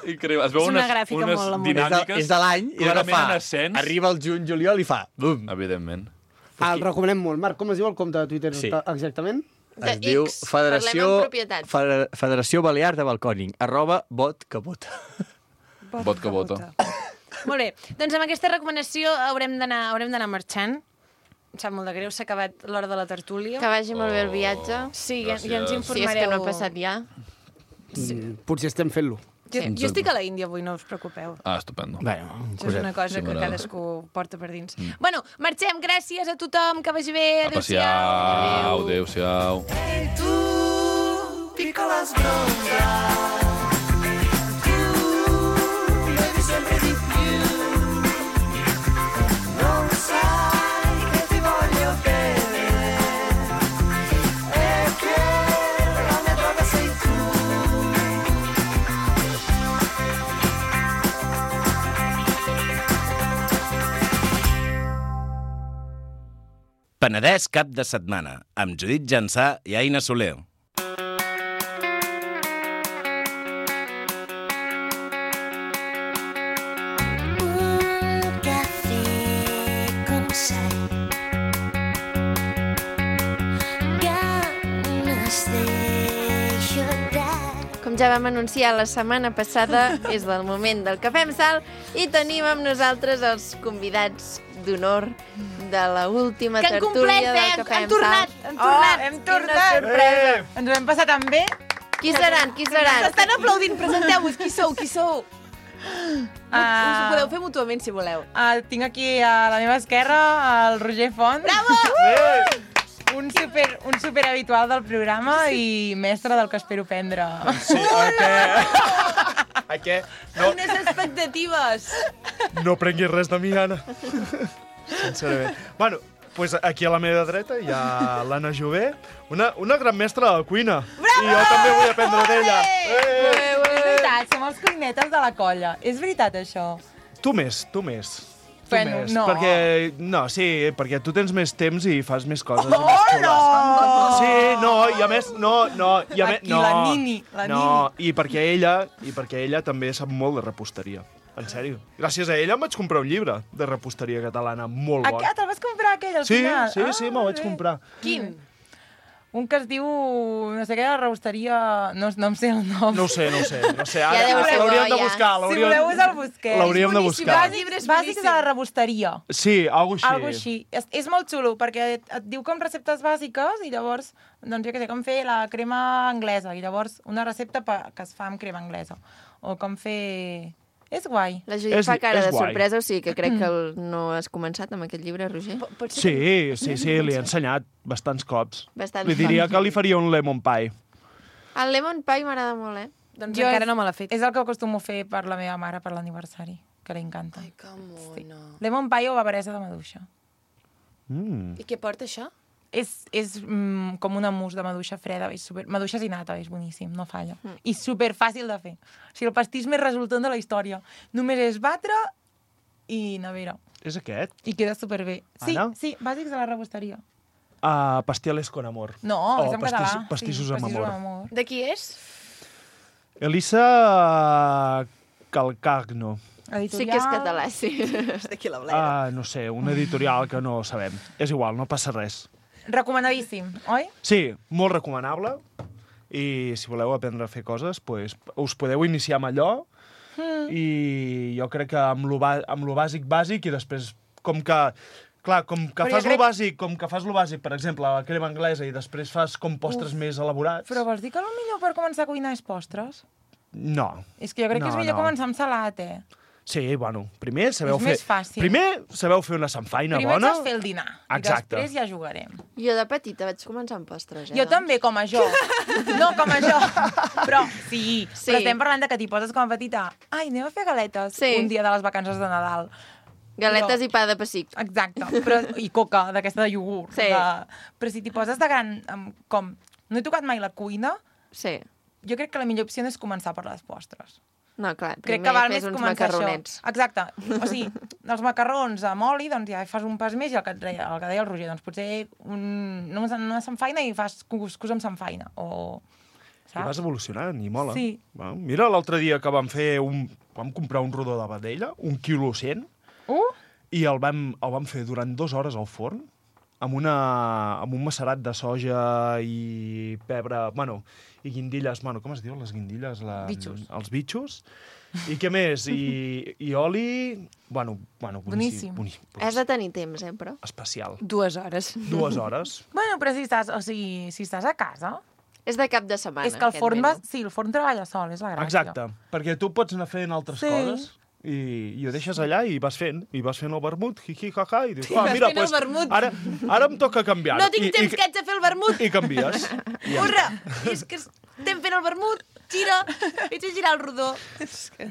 Increïble. Es veu És una unes, gràfica unes molt amorosa. dinàmiques És de l'any i ara clarament fa... en ascens. Arriba el juny-juliol i fa... Bum! Evidentment. El recomanem molt. Marc, com es diu el compte de Twitter Sí. exactament? Es diu Parlem en propietat. Federació Balear de Balcòning, @botcabota. Vot que vota. Molt bé, doncs amb aquesta recomanació haurem d'anar marxant. Em sap molt de greu, s'ha acabat l'hora de la tertúlia. Que vagi molt bé el viatge. Sí, ja ens Gràcies. Si és informareu. que no ha passat ja. Potser estem fent-lo. Jo estic a la Índia avui, no us preocupeu. Ah, estupendo. Bueno, Això és una cosa Sí, que m'agrada. cadascú porta per dins. Bueno, marxem, gràcies a tothom, que vagi bé, A adéu-siau. passear. Adéu-siau. E tu, piccola sbronza, tu bevi sempre di più, non sai che ti voglio bene e che la mia droga sei tu. Penedès cap de setmana, amb Judit Jansà i Aina Soler. Un cafè con sal, ganes de llorar. Com ja vam anunciar la setmana passada, és el moment del Cafè amb Sal i tenim amb nosaltres els convidats d'honor de la última Que han tertúlia complert, del Cafè han amb tornat, Sal. han tornat. hem Quina tornat. sorpresa! Ens ho hem passat tan bé. Qui seran? Qui seran? S'estan aplaudint, presenteu-vos, qui sou, qui sou? Us ho podeu fer mútuament, si voleu. Tinc aquí a la meva esquerra el Roger Font. Bravo! Un super habitual del programa i mestre del que espero prendre. Sí, a què? No, Unes expectatives. no prenguis res de mi, Anna. Sincerament. Bueno, pues aquí a la meva dreta hi ha l'Anna Jové, una gran mestra de la cuina. Bravo! I jo també vull aprendre d'ella. És veritat, som els cuinetes de la colla. És veritat, això? Tu més, tu més. Tu Bueno, més. no. Perquè, no, sí, perquè tu tens més temps i fas més coses. i Oh, més xules. no! Sí, no, i a més, i a més, Aquí, la Nini, la i perquè ella també sap molt de reposteria. En sèrio. Gràcies a ella em vaig comprar un llibre de reposteria catalana molt bo. Te'l vas comprar aquell al Sí, final? sí, me'l vaig comprar. Quin? Un que es diu, no sé què, la rebosteria... No em sé el nom. No ho sé. Ja Ara deu ser l'hauríem bo, de ja. buscar. Si voleu us el busqueu. L'hauríem de buscar. Bàsics de la rebosteria. Sí, algo així. Algo així. És molt xulo, perquè et diu com receptes bàsiques i llavors, doncs jo què sé, com fer la crema anglesa, i llavors una recepta que es fa amb crema anglesa. O com fer... És guai. La Judit fa cara de sorpresa, o sigui que crec que no has començat amb aquest llibre, Roger. Sí, li he ensenyat bastants cops. Bastants Li diria cops. que li faria un lemon pie. El lemon pie m'agrada molt, eh? Doncs encara no me l'ha fet. És el que acostumo a fer per la meva mare per l'aniversari, que li encanta. Ai, que mono. Sí. Lemon pie o bavaresa de maduixa. I què porta això? És com una mousse de maduixa freda, maduixa i nata, és boníssim, no falla. I super fàcil de fer. O sigui, el pastís més resultant de la història. Només és batre i nevera. És aquest? I queda superbé. Sí, Anna? sí, bàsics de la rebosteria. Pasteles con amor. No, és en català. Pastissos amb amor. De qui és? Elisa Calcagno. Editorial... Sí que és català, sí. D'aquí la Bleda. No sé, una editorial que no sabem. És igual, no passa res. Recomanadíssim, oi? Sí, molt recomanable. I si voleu aprendre a fer coses, pues, us podeu iniciar amb allò. I jo crec que amb lo bàsic i després, com que... Clar, com que fas lo bàsic, per exemple, la crema anglesa, i després fas com postres més elaborats... Però vols dir que el millor per començar a cuinar és postres? No. És que jo crec que és millor començar amb salat, Sí, bueno, primer sabeu és fer... més fàcil. Primer sabeu fer una samfaina bona. bona. Primer has fer el dinar, Exacte. I després ja jugarem. Jo de petita vaig començar amb postres, Jo també, com a jo. No, com a jo. Però sí, però estem parlant de que t'hi poses com a petita. Ai, anem a fer galetes un dia de les vacances de Nadal. Galetes i pa de pessic. Exacte, i coca, d'aquesta de iogurt. Sí. Però si t'hi poses de gran, com no he tocat mai la cuina, jo crec que la millor opció és començar per les postres. No, clar, crec que val fes més uns començar macarronets. això. Exacte. O sigui, els macarrons amb oli, doncs ja fas un pas més, i el que deia el Roger, doncs potser una samfaina i fas cuscús amb samfaina. I vas evolucionant, i mola. Sí. Mira, l'altre dia que vam comprar un rodó de vedella, 1,1 kg, i el vam fer durant 2 hores al forn, amb un macerat de soja i pebre, i guindilles, com es diu, les guindilles? Bitxos. Els bitxos. I què més? I oli... Boníssim. Has de tenir temps, però. Especial. 2 hores. 2 hores. Bueno, però si estàs a casa... És de cap de setmana, és que el forn treballa sol, és la gràcia. Exacte, perquè tu pots anar fent altres coses i ho deixes allà i vas fent el vermut, ha, i dius, mira, pues, ara em toca canviar. No tinc temps que haig de fer el vermut. I canvies. Urra! És que estem fent el vermut, gira, haig de girar el rodó. És que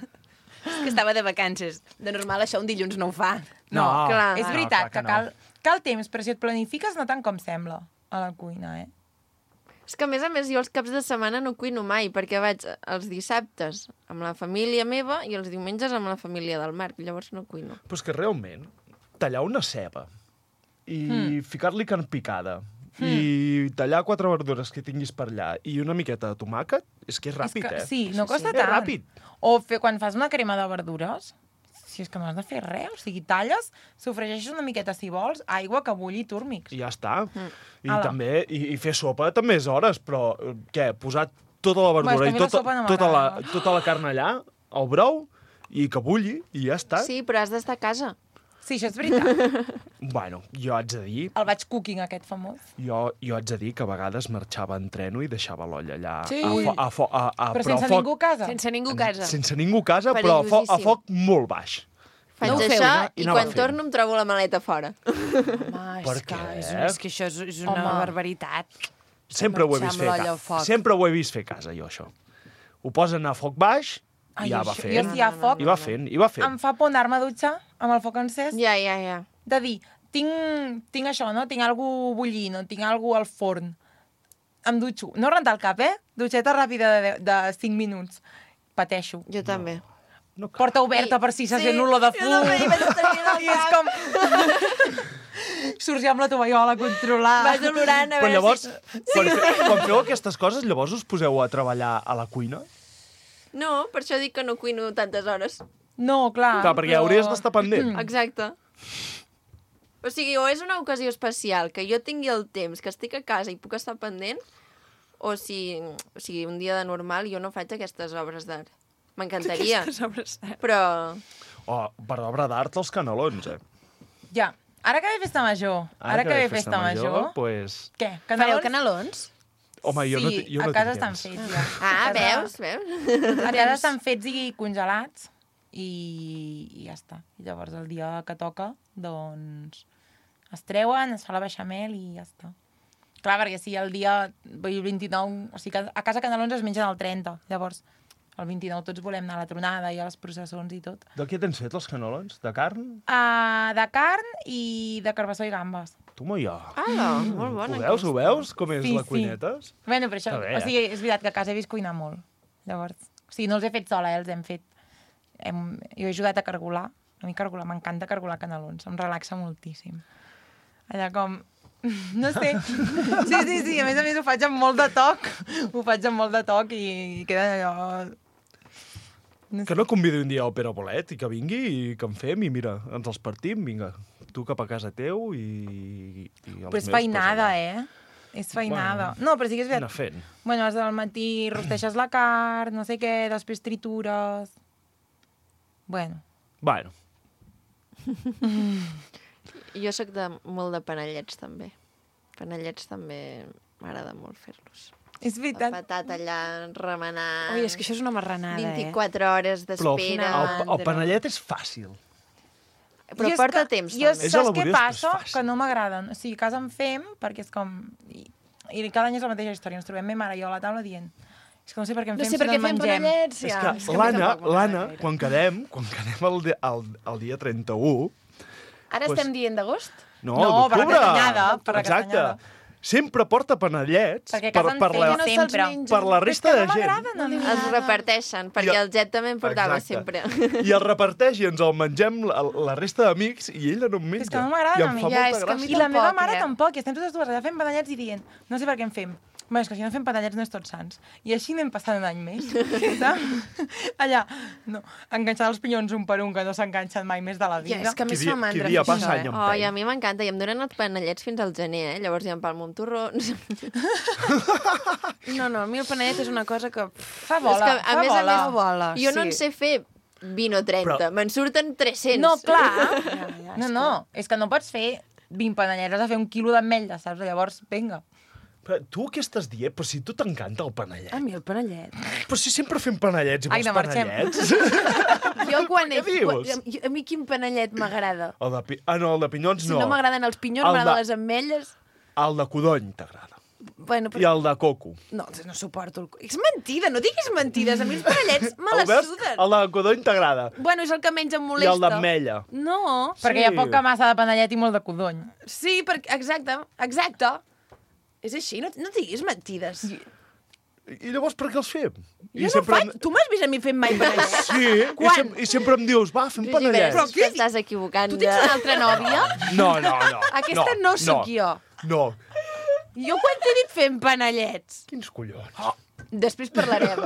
estava de vacances. De normal això un dilluns no ho fa. No, clar. És veritat que cal temps, però si et planifiques no tant com sembla a la cuina, És que, a més, jo els caps de setmana no cuino mai, perquè vaig els dissabtes amb la família meva i els diumenges amb la família del Marc, llavors no cuino. Però és que realment, tallar una ceba i ficar-li carn picada i tallar 4 verdures que tinguis per allà i una miqueta de tomàquet, és que és ràpid, Sí, no costa tant. És ràpid. O quan fas una crema de verdures... Si és que no has de fer res, o sigui, talles, sofregeixes una miqueta, si vols, aigua que bulli i túrmics. I ja està. I també, i fer sopa també és hores, però què, posar tota la verdura i tota la carn allà, al brou, i que bulli, i ja està. Sí, però has d'estar a casa. Sí, això és veritat. Bueno, jo haig de dir... El batch cooking, aquest famós. Jo haig de dir que a vegades marxava en treno i deixava l'olla allà però sense ningú a casa. Sense ningú a casa. Sense ningú a casa, però a foc molt baix. Faig això i quan torno em trobo la maleta fora. Home, és que això és una barbaritat. Sempre ho he vist fer a casa. Sempre ho he vist fer a casa, jo, això. Ho posen a foc baix i ja va fent. Jo si hi ha foc... I va fent. Em fa por anar-me a dutxar amb el foc encès. Ja. De dir, tinc això, no? Tinc alguna bullint, no? Tinc alguna al forn. Em dutxo. No rentar el cap, Dutxeta ràpida de 5 minuts. Pateixo. Jo també. Porta oberta per si se sent olor de fum. I és com... Surts ja amb la tovallola a controlar. Vas olorant a veure llavors, quan feu aquestes coses, llavors us poseu a treballar a la cuina? No, per això dic que no cuino tantes hores. No, clar. Clar, perquè hauries d'estar pendent. Exacte. O sigui, o és una ocasió especial, que jo tingui el temps, que estic a casa i puc estar pendent, o sigui, un dia de normal jo no faig aquestes obres d'art. M'encantaria. Però... Per obra d'art, els canelons, Ja. Ara que ve festa major. Pues... Què? Fareu canelons? Home, jo no tinc temps. A casa estan fets, ja. Veus? A casa estan fets i congelats i ja està. I llavors el dia que toca, doncs, es treuen, es fa la beixamel i ja està. Clar, perquè si el dia 29... O sigui, a casa canelons es mengen el 30, llavors el 29 tots volem anar a la tronada i a les processons i tot. De què tens fet, els canelons? De carn? De carn i de carbassó i gambes. Toma ja. Molt bona. Ho veus? Com és la cuineta? Bueno, però això... O sigui, és veritat que a casa he vist cuinar molt. Llavors, o sigui, no els he fet sola, els hem fet... Jo he ajudat a cargolar. A mi cargolar, m'encanta cargolar canelons. Em relaxa moltíssim. Allà com... No sé. Sí, a més ho faig amb molt de toc. Ho faig amb molt de toc i queda allò... Que no convidi un dia al Pere Bolet i que vingui i que en fem i mira, ens els partim, vinga, tu cap a casa teu i els Però és meus, feinada, És feinada. No, però sí que és veritat. Anar fent. Bueno, vas al matí, rosteixes la carn, no sé què, després tritures... Bueno. Jo sóc molt de panellets, també. Panellets també m'agrada molt fer-los. És veritat. La patata allà remenant... Ui, és que això és una marranada, 24 hores d'espera. Però el panellet és fàcil. Però porta temps, Jo també. saps què passa? Que no m'agraden. O sigui, a casa en fem, perquè és com... I cada any és la mateixa història. Ens trobem ma mare i jo a la taula dient... És que no sé per què en fem si no en mengem. Panellets, ja. És que l'Anna, quan quedem el dia 31... Ara estem dient d'agost? No, per la d'octubre. castanyada. Per la Exacte. castanyada. Sempre porta panellets Perquè a casa en feien sempre. per la resta de gent. Els reparteixen, perquè el Jet també en portava sempre. I el reparteix i ens el mengem la resta d'amics i ella no en menja. És que no m'agrada a mi. I em fa molta gràcia. I la meva mare tampoc. I estem totes dues allà fent panellets i dient no sé per què en fem. Bé, és que si no fem panellets no és tots sants. I així anem passant un any més. Allà, no, enganxant els pinyons un per un, que no s'enganxen mai més de la vida. Ja, és que a més fa mandra fer això, I a mi m'encanta. I em donen els panellets fins al gener, Llavors ja em palmo amb torrons. No, a mi el panellet és una cosa que... Fa bola, a més, jo no en sé fer 20 o 30. Me'n surten 300. No, clar. No, és que no pots fer 20 panellets, has de fer 1 quilo d'ametlla, saps? Llavors, vinga. Però tu què estàs dient? Però si tu t'encanta el panellet. A mi el panellet. Però si sempre fem panellets i vols panellets. Jo quan Què dius? A mi quin panellet m'agrada? El de pinyons no. Si no m'agraden els pinyons, m'agraden les ametlles. El de codony t'agrada. Bueno, I el de coco. No suporto el... És mentida, no diguis mentides. A mi els panellets me les suden. El de codony t'agrada. Bueno, és el que menys em molesta. I el d'ametlla. No. Perquè hi ha poca massa de panellet i molt de codony. Sí, exacte. És així, no diguis mentides. I llavors per què els fem? Jo no faig... Tu m'has vist a mi fent mai panellets? Sí, i sempre em dius, va, fem panellets. Però què estàs equivocant? Tu tens una altra nòvia? No. Aquesta no sóc jo. No. Jo quan t'he dit fem panellets? Quins collons? Després parlarem.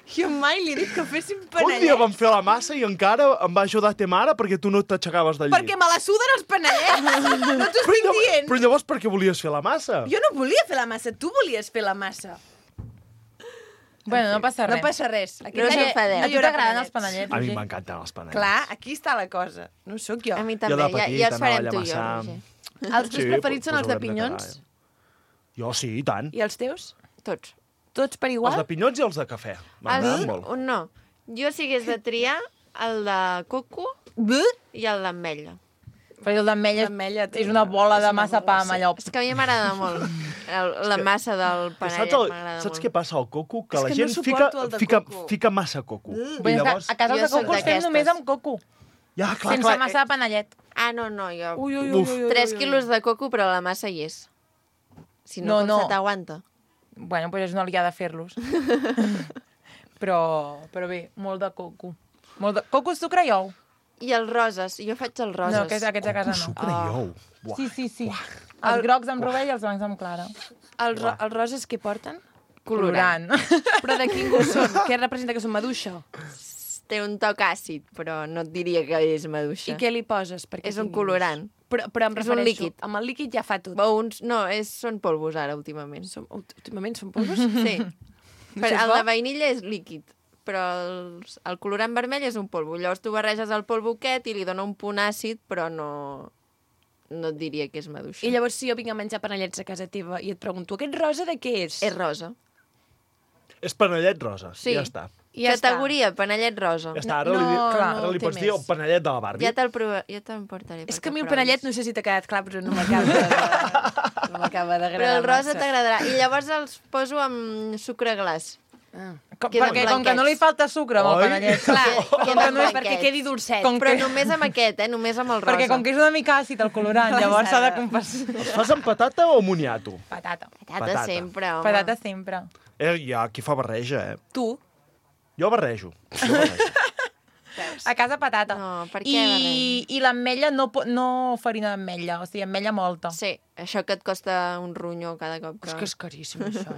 Jo mai li he dit que féssim panellets. Un dia vam fer la massa i encara em va ajudar ta mare perquè tu no t'aixecaves del llit. Perquè me la suden els panellets. No t'ho estic dient. Però llavors per què volies fer la massa? Jo no volia fer la massa, tu volies fer la massa. Bueno, no passa res. No passa res. A tu t'agraden els panellets? A mi m'encanten els panellets. Clar, aquí està la cosa. No sóc jo. A mi també, ja els farem tu i jo, Roger. Els teus preferits són els de pinyons? Jo sí, i tant. I els teus? Tots. Tots per igual? Els de pinyons i els de cafè. M'agraden molt. No. Jo si hagués de triar el de coco i el d'ametlla. Però el d'ametlla és una bola de massa pa amb allò. És que a mi m'agrada molt. La massa del panellet m'agrada molt. Saps què passa al coco? Que la gent fica massa coco. A casa els de coco els fem només amb coco. Ja, clar. Sense massa de panellet. Ah, no, jo... 3 quilos de coco, però la massa hi és. Si no, com se t'aguanta? Bueno, doncs és una liada fer-los. però bé, molt de coco. Coco, sucre i ou. I els roses, jo faig els roses. No, aquests a casa no. Sucre i ou. Sí. Els grocs amb rovell i els blancs amb clara. Els roses què porten? Colorant. Però de quin gust són? Què representa, que són maduixa? Té un toc àcid, però no et diria que és maduixa. I què li poses? És un colorant. Però em refereixo... És un líquid. Amb el líquid ja fa tot. No, són polvos ara, últimament. Últimament són polvos? Sí. El de vainilla és líquid, però el colorant vermell és un polvo. Llavors tu barreges el polvo aquest i li dona un punt àcid, però no et diria que és maduixa. I llavors si jo vinc a menjar panellets a casa teva i et pregunto, aquest rosa de què és? És rosa. És panellet rosa, sí. Ja està. Categoria, panellet rosa. Ja està, ara li pots dir el panellet de la Barbie. Ja te'n portaré. És que a mi el panellet no sé si t'ha quedat clar, però no m'acaba d'agradar. Però el rosa t'agradarà. I llavors els poso amb sucre glaç. Perquè com que no li falta sucre amb el panellet. Clar, perquè quedi dolcet. Però només amb aquest, només amb el rosa. Perquè com que és una mica àcid el colorant, llavors s'ha de compensar. Els fas amb patata o moniato? Patata. Patata sempre, home. Patata sempre. Hi ha qui fa barreja, Tu? Jo barrejo. A casa patata. No, per què? I l'ametlla no farina d'ametlla, o sigui, ametlla molta. Sí, això que et costa un ronyo cada cop que... És que és caríssim, això,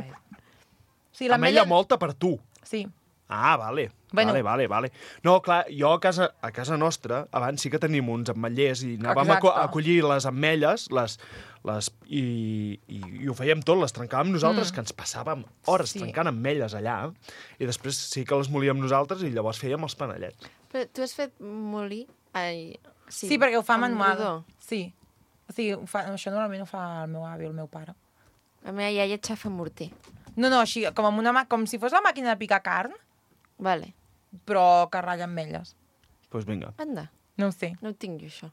Sí, Ametlla molta per tu. Sí. Ah, vale. Bueno. Vale. No, clar, jo a casa nostra, abans sí que tenim uns ametllers i anàvem a collir les ametlles i ho fèiem tot, les trencàvem nosaltres, que ens passàvem hores trencant ametlles allà, i després sí que les molíem nosaltres i llavors fèiem els panellets. Però tu has fet molí? Sí, perquè ho fa amb manual. rodó. Sí. O sigui, això normalment ho fa el meu avi o el meu pare. La meva iaia xafa morter. No, així, com si fos la màquina de picar carn. Vale. Però que ratlla ametlles. Doncs vinga. Anda. No ho sé. No ho tinc jo, això.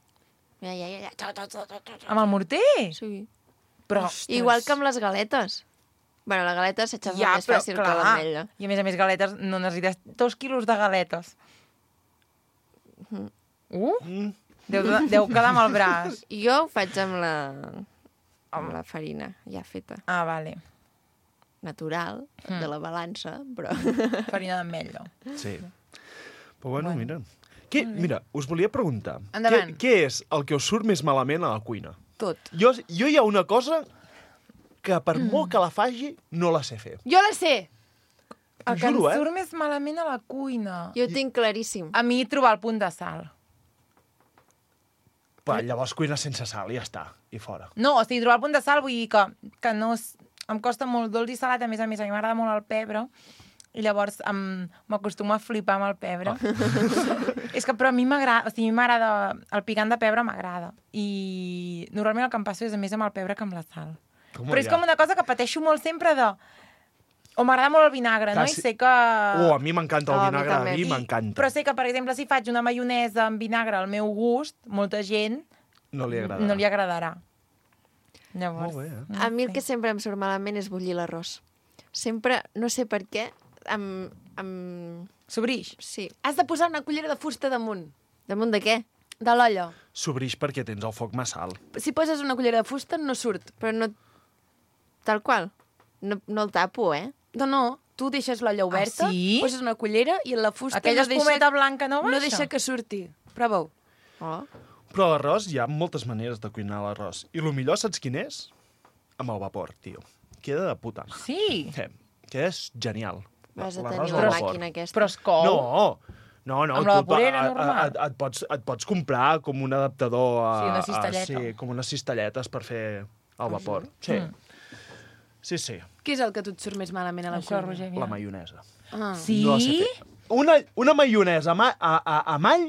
Mira, ja. Amb el morter? Sí. Però, igual que amb les galetes. Bueno, la galeta s'aixafa més fàcil que l'ametlla. I a més galetes, no necessites 2 quilos de galetes. Deu quedar amb el braç. Jo ho faig amb la farina ja feta. Ah, vale. Natural, de la balança, però... Farina d'ametlla. Sí. Però bueno, mira. Mira, us volia preguntar. Endavant. Què és el que us surt més malament a la cuina? Tot. Jo hi ha una cosa que per molt que la faci, no la sé fer. Jo la sé! El que em surt més malament a la cuina. Jo ho tinc claríssim. A mi trobar el punt de sal. Però llavors cuina sense sal i ja està, i fora. No, o sigui, trobar el punt de sal vull dir que no... Em costa molt dolç i salat, a mi m'agrada molt el pebre, i llavors m'acostumo a flipar amb el pebre. És que però a mi m'agrada, o sigui, el picant de pebre m'agrada. I normalment el que em passo és més amb el pebre que amb la sal. Però és com una cosa que pateixo molt sempre de... O m'agrada molt el vinagre, no? I sé que... A mi m'encanta el vinagre, a mi m'encanta. Però sé que, per exemple, si faig una maionesa amb vinagre al meu gust, molta gent no li agradarà. Llavors, molt bé, a mi el que sempre em surt malament és bullir l'arròs. Sempre, no sé per què, S'obrix? Sí. Has de posar una cullera de fusta damunt. Damunt de què? De l'olla. S'obrix perquè tens el foc massa alt. Si poses una cullera de fusta, no surt. Però no... Tal qual. No el tapo, No, tu deixes l'olla oberta, poses una cullera i la fusta aquella espumeta blanca no baixa? No deixa que surti. Prova-ho. Oh. Però l'arròs, hi ha moltes maneres de cuinar l'arròs. I el millor, saps quin és? Amb el vapor, tio. Queda de puta mare. Sí? Que és genial. Vas a tenir la màquina aquesta. Però es cou? No. Amb la vaporera normal? Et pots comprar com un adaptador Sí, una cistelleta. Sí, com unes cistelletes per fer el vapor. Sí. Sí. Què és el que tu et surt més malament a la cuina? Roger, la maionesa. Sí? No la sé fer. Una maionesa amb all,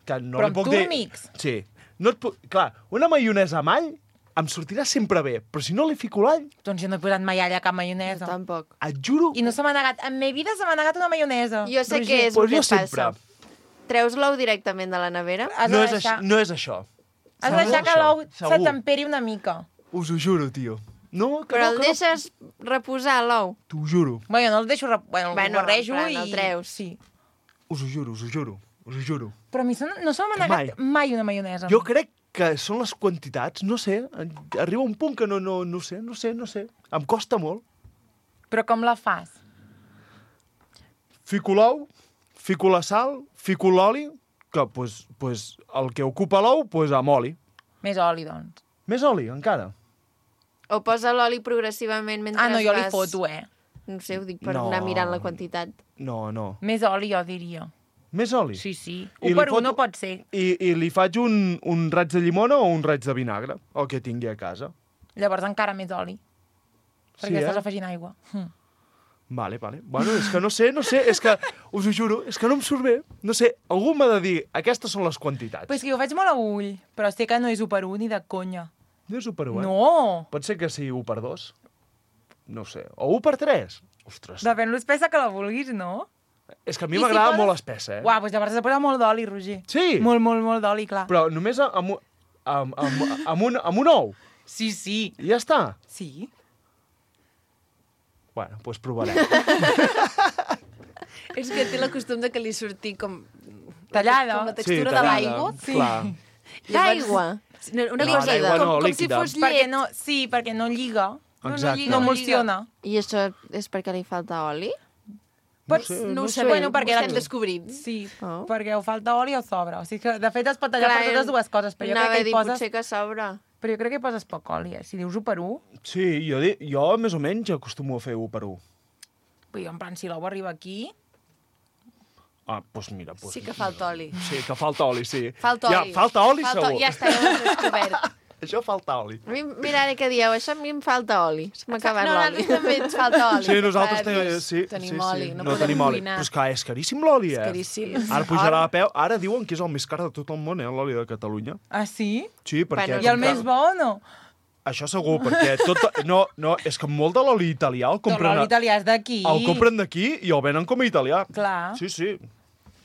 que no però li puc dir... Però amb túrmics? Sí. No clar, una maionesa amb all em sortirà sempre bé, però si no li fico l'all... Doncs jo no he posat mai all a cap maionesa. No, tampoc. Et juro... I no se m'ha negat. En meva vida se m'ha negat una maionesa. Jo sé què és el que passa. Treus l'ou directament de la nevera? No és això. Has de deixar que l'ou se temperi una mica. Us ho juro, tio. No, però el deixes reposar, l'ou? T'ho juro. Bueno, no el deixo... Bueno, el barrejo i... el treus. Sí. Us ho juro. Però a mi no se m'ha negat mai una maionesa. Jo crec que són les quantitats, no sé, arriba un punt que no sé. Em costa molt. Però com la fas? Fico l'ou, fico la sal, fico l'oli, que pues, el que ocupa l'ou, amb oli. Més oli, doncs. Més oli, encara. O posa l'oli progressivament mentre no, jo li foto, No sé, ho dic per anar mirant la quantitat. No. Més oli, jo diria. Més oli? Sí. 1 per 1 no pot ser. I li faig un raig de llimona o un raig de vinagre, el que tingui a casa. Llavors encara més oli. Perquè estàs afegint aigua. Vale. Bueno, és que no sé, és que, us ho juro, és que no em surt bé. No sé, algú m'ha de dir, aquestes són les quantitats. Però és que jo ho faig molt a ull, però sé que no és 1 per 1 ni de conya. No és 1 per 1, No! Pot ser que sigui 1 per 2? No sé. O 1 per 3? Ostres. Depèn l'espessa que la vulguis, no? És que a mi m'agrada molt espessa, Uau, doncs llavors has de posar molt d'oli, Roger. Sí? Molt d'oli, clar. Però només amb un ou? Sí. I ja està? Sí. Bueno, doncs provarem. És que té la costum de que li surti com... Tallada. Com la textura de l'aigua. Sí. D'aigua? Una cosa com si fos llet. Perquè no lliga. Exacte. No emulsiona. I això és perquè li falta oli? No ho sabem, Bueno, perquè ho estem descobrint. Sí, perquè o falta oli o sobra. O sigui que, de fet, es pot tallar per totes dues coses, però jo crec que hi poses... potser que sobra. Però jo crec que hi poses poc oli, Si dius 1 per 1... Sí, jo més o menys acostumo a fer 1 per 1. Però jo, en plan, si l'ou arriba aquí... Ah, doncs mira... Pues... Sí que falta oli. Sí, que falta oli, sí. Falta oli. Falta oli, segur. Ja està, ja ho has descobert. Això falta oli. A mi, mira ara que dieu, això a mi em falta oli. Se m'ha acabat No, l'oli. nosaltres també ens falta oli. Sí, nosaltres Tenim oli, no podem tenim oli. cuinar. Però és que és caríssim l'oli, És caríssim. Ara pujarà a peu. Ara diuen que és el més car de tot el món, l'oli de Catalunya. Ah, sí? Sí, perquè... I el més bo o no? Això segur, perquè tot... No, és que molt de l'oli italià el compren... L'oli italià és d'aquí. El compren d'aquí i el venen com a italià. Clar. Sí, sí.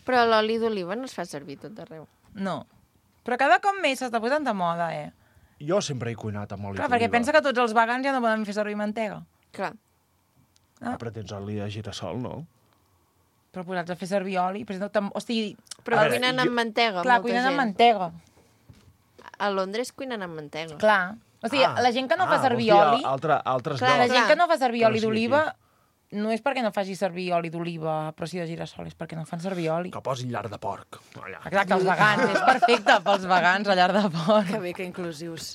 Però l'oli d'oliva no es fa servir tot arreu. No. Però cada cop més s'està posant de moda, Jo sempre he cuinat amb oli Clar, d'oliva. perquè pensa que tots els vegans ja no poden fer servir mantega. Clar. Però tens oli de girassol, no? Però posats a fer servir oli... O sigui... Però cuinen amb mantega, Clar, molta cuinen amb gent. mantega. A Londres cuinen amb mantega. Clar. O sigui, la gent que no fa servir vols dir oli... Altres Clar, la llocs. gent que no fa servir Que no oli sigui d'oliva no és perquè no faci servir oli d'oliva, però sí de girassol, és perquè no fan servir oli. Que posin llar de porc. Allà. Exacte, els vegans. És perfecte pels vegans, la llar de porc. Que bé, que inclusius.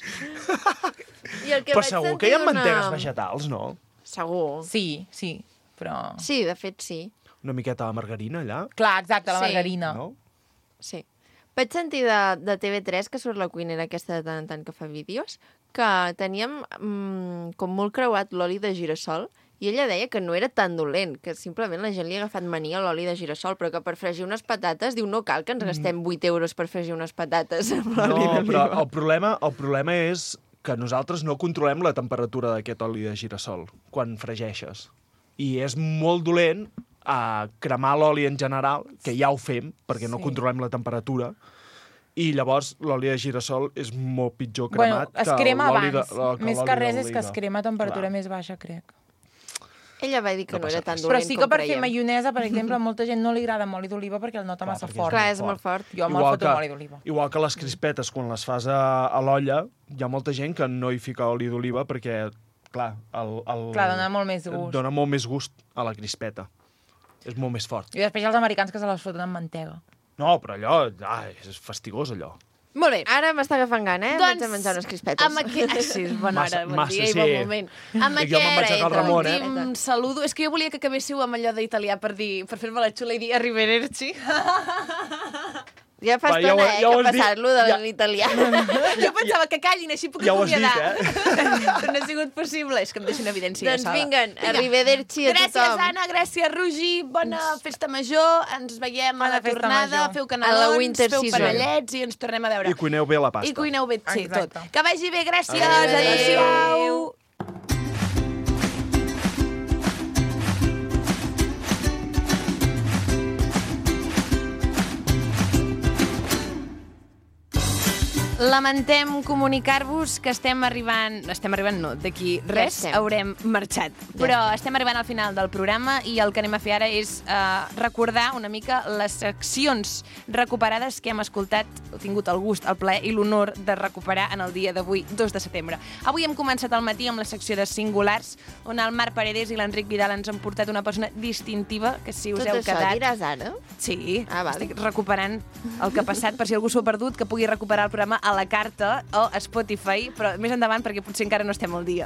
I el que Però vaig segur sentir que hi ha d'una- mantegues vegetals, no? Segur. Sí, però... Sí, de fet, sí. Una miqueta de margarina, allà? Clar, exacte, la Sí. margarina. No? Sí. Vaig sentir de TV3, que surt la cuinera aquesta de tant en tant que fa vídeos, que teníem com molt creuat l'oli de girassol, i ella deia que no era tan dolent, que simplement la gent li ha agafat mania a l'oli de girassol, però que per fregir unes patates, diu, no cal que ens gastem 8 euros per fregir unes patates amb l'oli No, però d'oliva. el problema és que nosaltres no controlem la temperatura d'aquest oli de girassol quan fregeixes. I és molt dolent cremar l'oli en general, que ja ho fem, perquè no controlem la temperatura, i llavors l'oli de girassol és molt pitjor cremat es crema l'oli abans. Més que res és que es d'oliva. crema a temperatura més baixa, crec. Ella va dir que no era tan Però dolent sí com que per fer creiem. maionesa, per exemple, a molta gent no li agrada amb oli d'oliva perquè el nota massa fort. Clar, és molt fort. Jo me'l foto amb oli d'oliva. Igual que les crispetes, quan les fas a l'olla, hi ha molta gent que no hi fica oli d'oliva perquè, clar, Clar, dona molt més gust. Dona molt més gust a la crispeta. És molt més fort. I després hi ha els americans que se les foten amb mantega. No, però allò, és fastigós, allò. Molt bé. Ara m'està agafant gana, Doncs, Vaig a menjar unes crispetes. Amb aquest... Sí, és bona hora, bon dia i sí. bon moment. Amb Jo me'n vaig a Cal Ramon, últim saludo... És que jo volia que acabéssiu amb allò d'italià per fer-me la xula i dir arrivederci. Ja fa estona, que ha passat lo de l'italià. Jo pensava que callin, així puc Ja ho has acomiadar. dit, Però no ha sigut possible. És que em deixo en evidència. Doncs ja sola. vinguen, arrivederci a Gràcies, tothom. Anna, gràcies, Roger. Bona festa major. Ens veiem a la festa tornada. major. Feu A la canelons, winter feu season. panellets i ens tornem a veure. I cuineu bé la pasta. I cuineu bé, sí, tot. Exacte. Que vagi bé, gràcies. Adéu. Adéu. Lamentem comunicar-vos que estem arribant no, d'aquí res estem. haurem marxat. Però estem arribant al final del programa i el que anem a fer ara és recordar una mica les seccions recuperades que hem escoltat, o tingut el gust, el plaer i l'honor de recuperar en el dia d'avui, 2 de setembre. Avui hem començat al matí amb la secció de singulars, on el Marc Paredes i l'Enric Vidal ens han portat una persona distintiva, que si us Tot heu això quedat... diràs ara? Sí, vale. estic recuperant el que ha passat, per si algú s'ho ha perdut, que pugui recuperar el programa a la carta o a Spotify, però més endavant perquè potser encara no estem al dia.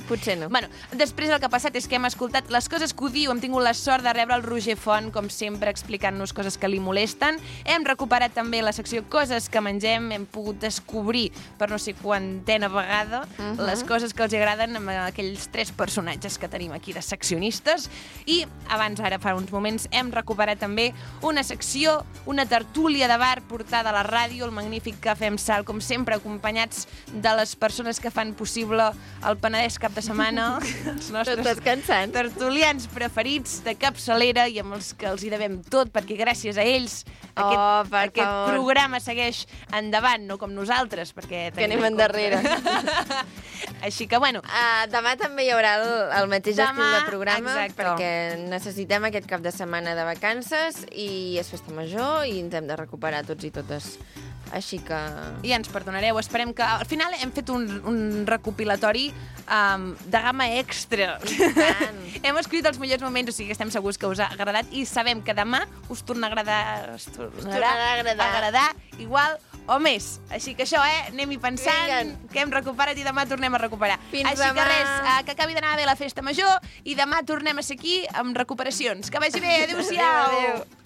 Potser no. Bueno, després el que ha passat és que hem escoltat les coses que odio, hem tingut la sort de rebre el Roger Font, com sempre, explicant-nos coses que li molesten. Hem recuperat també la secció Coses que mengem, hem pogut descobrir per no sé quantena vegada les coses que els agraden amb aquells 3 personatges que tenim aquí de seccionistes. I abans, ara fa uns moments, hem recuperat també una secció, una tertúlia de bar portada a la ràdio, el magnífic Cafè amb Sal, com sempre, acompanyats de les persones que fan possible el Penedès cap de setmana, els nostres tertulians preferits de capçalera i amb els que els hi devem tot, perquè gràcies a ells aquest programa segueix endavant, no com nosaltres, perquè Que anem endarrere. Així que, bueno... Demà també hi haurà el mateix estil de programa, exacte. perquè necessitem aquest cap de setmana de vacances i és festa major i ens hem de recuperar tots i totes Així que... I ens perdonareu. Esperem que... Al final hem fet un recopilatori de gamma extra. Hem escrit els millors moments, o sigui que estem segurs que us ha agradat i sabem que demà us tornarà a agradar igual o més. Així que això, anem-hi pensant, que hem recuperat i demà tornem a recuperar. Fins Així demà. que res, que acabi d'anar bé la festa major i demà tornem a ser aquí amb recuperacions. Que vagi bé, adéu-siau! Adéu.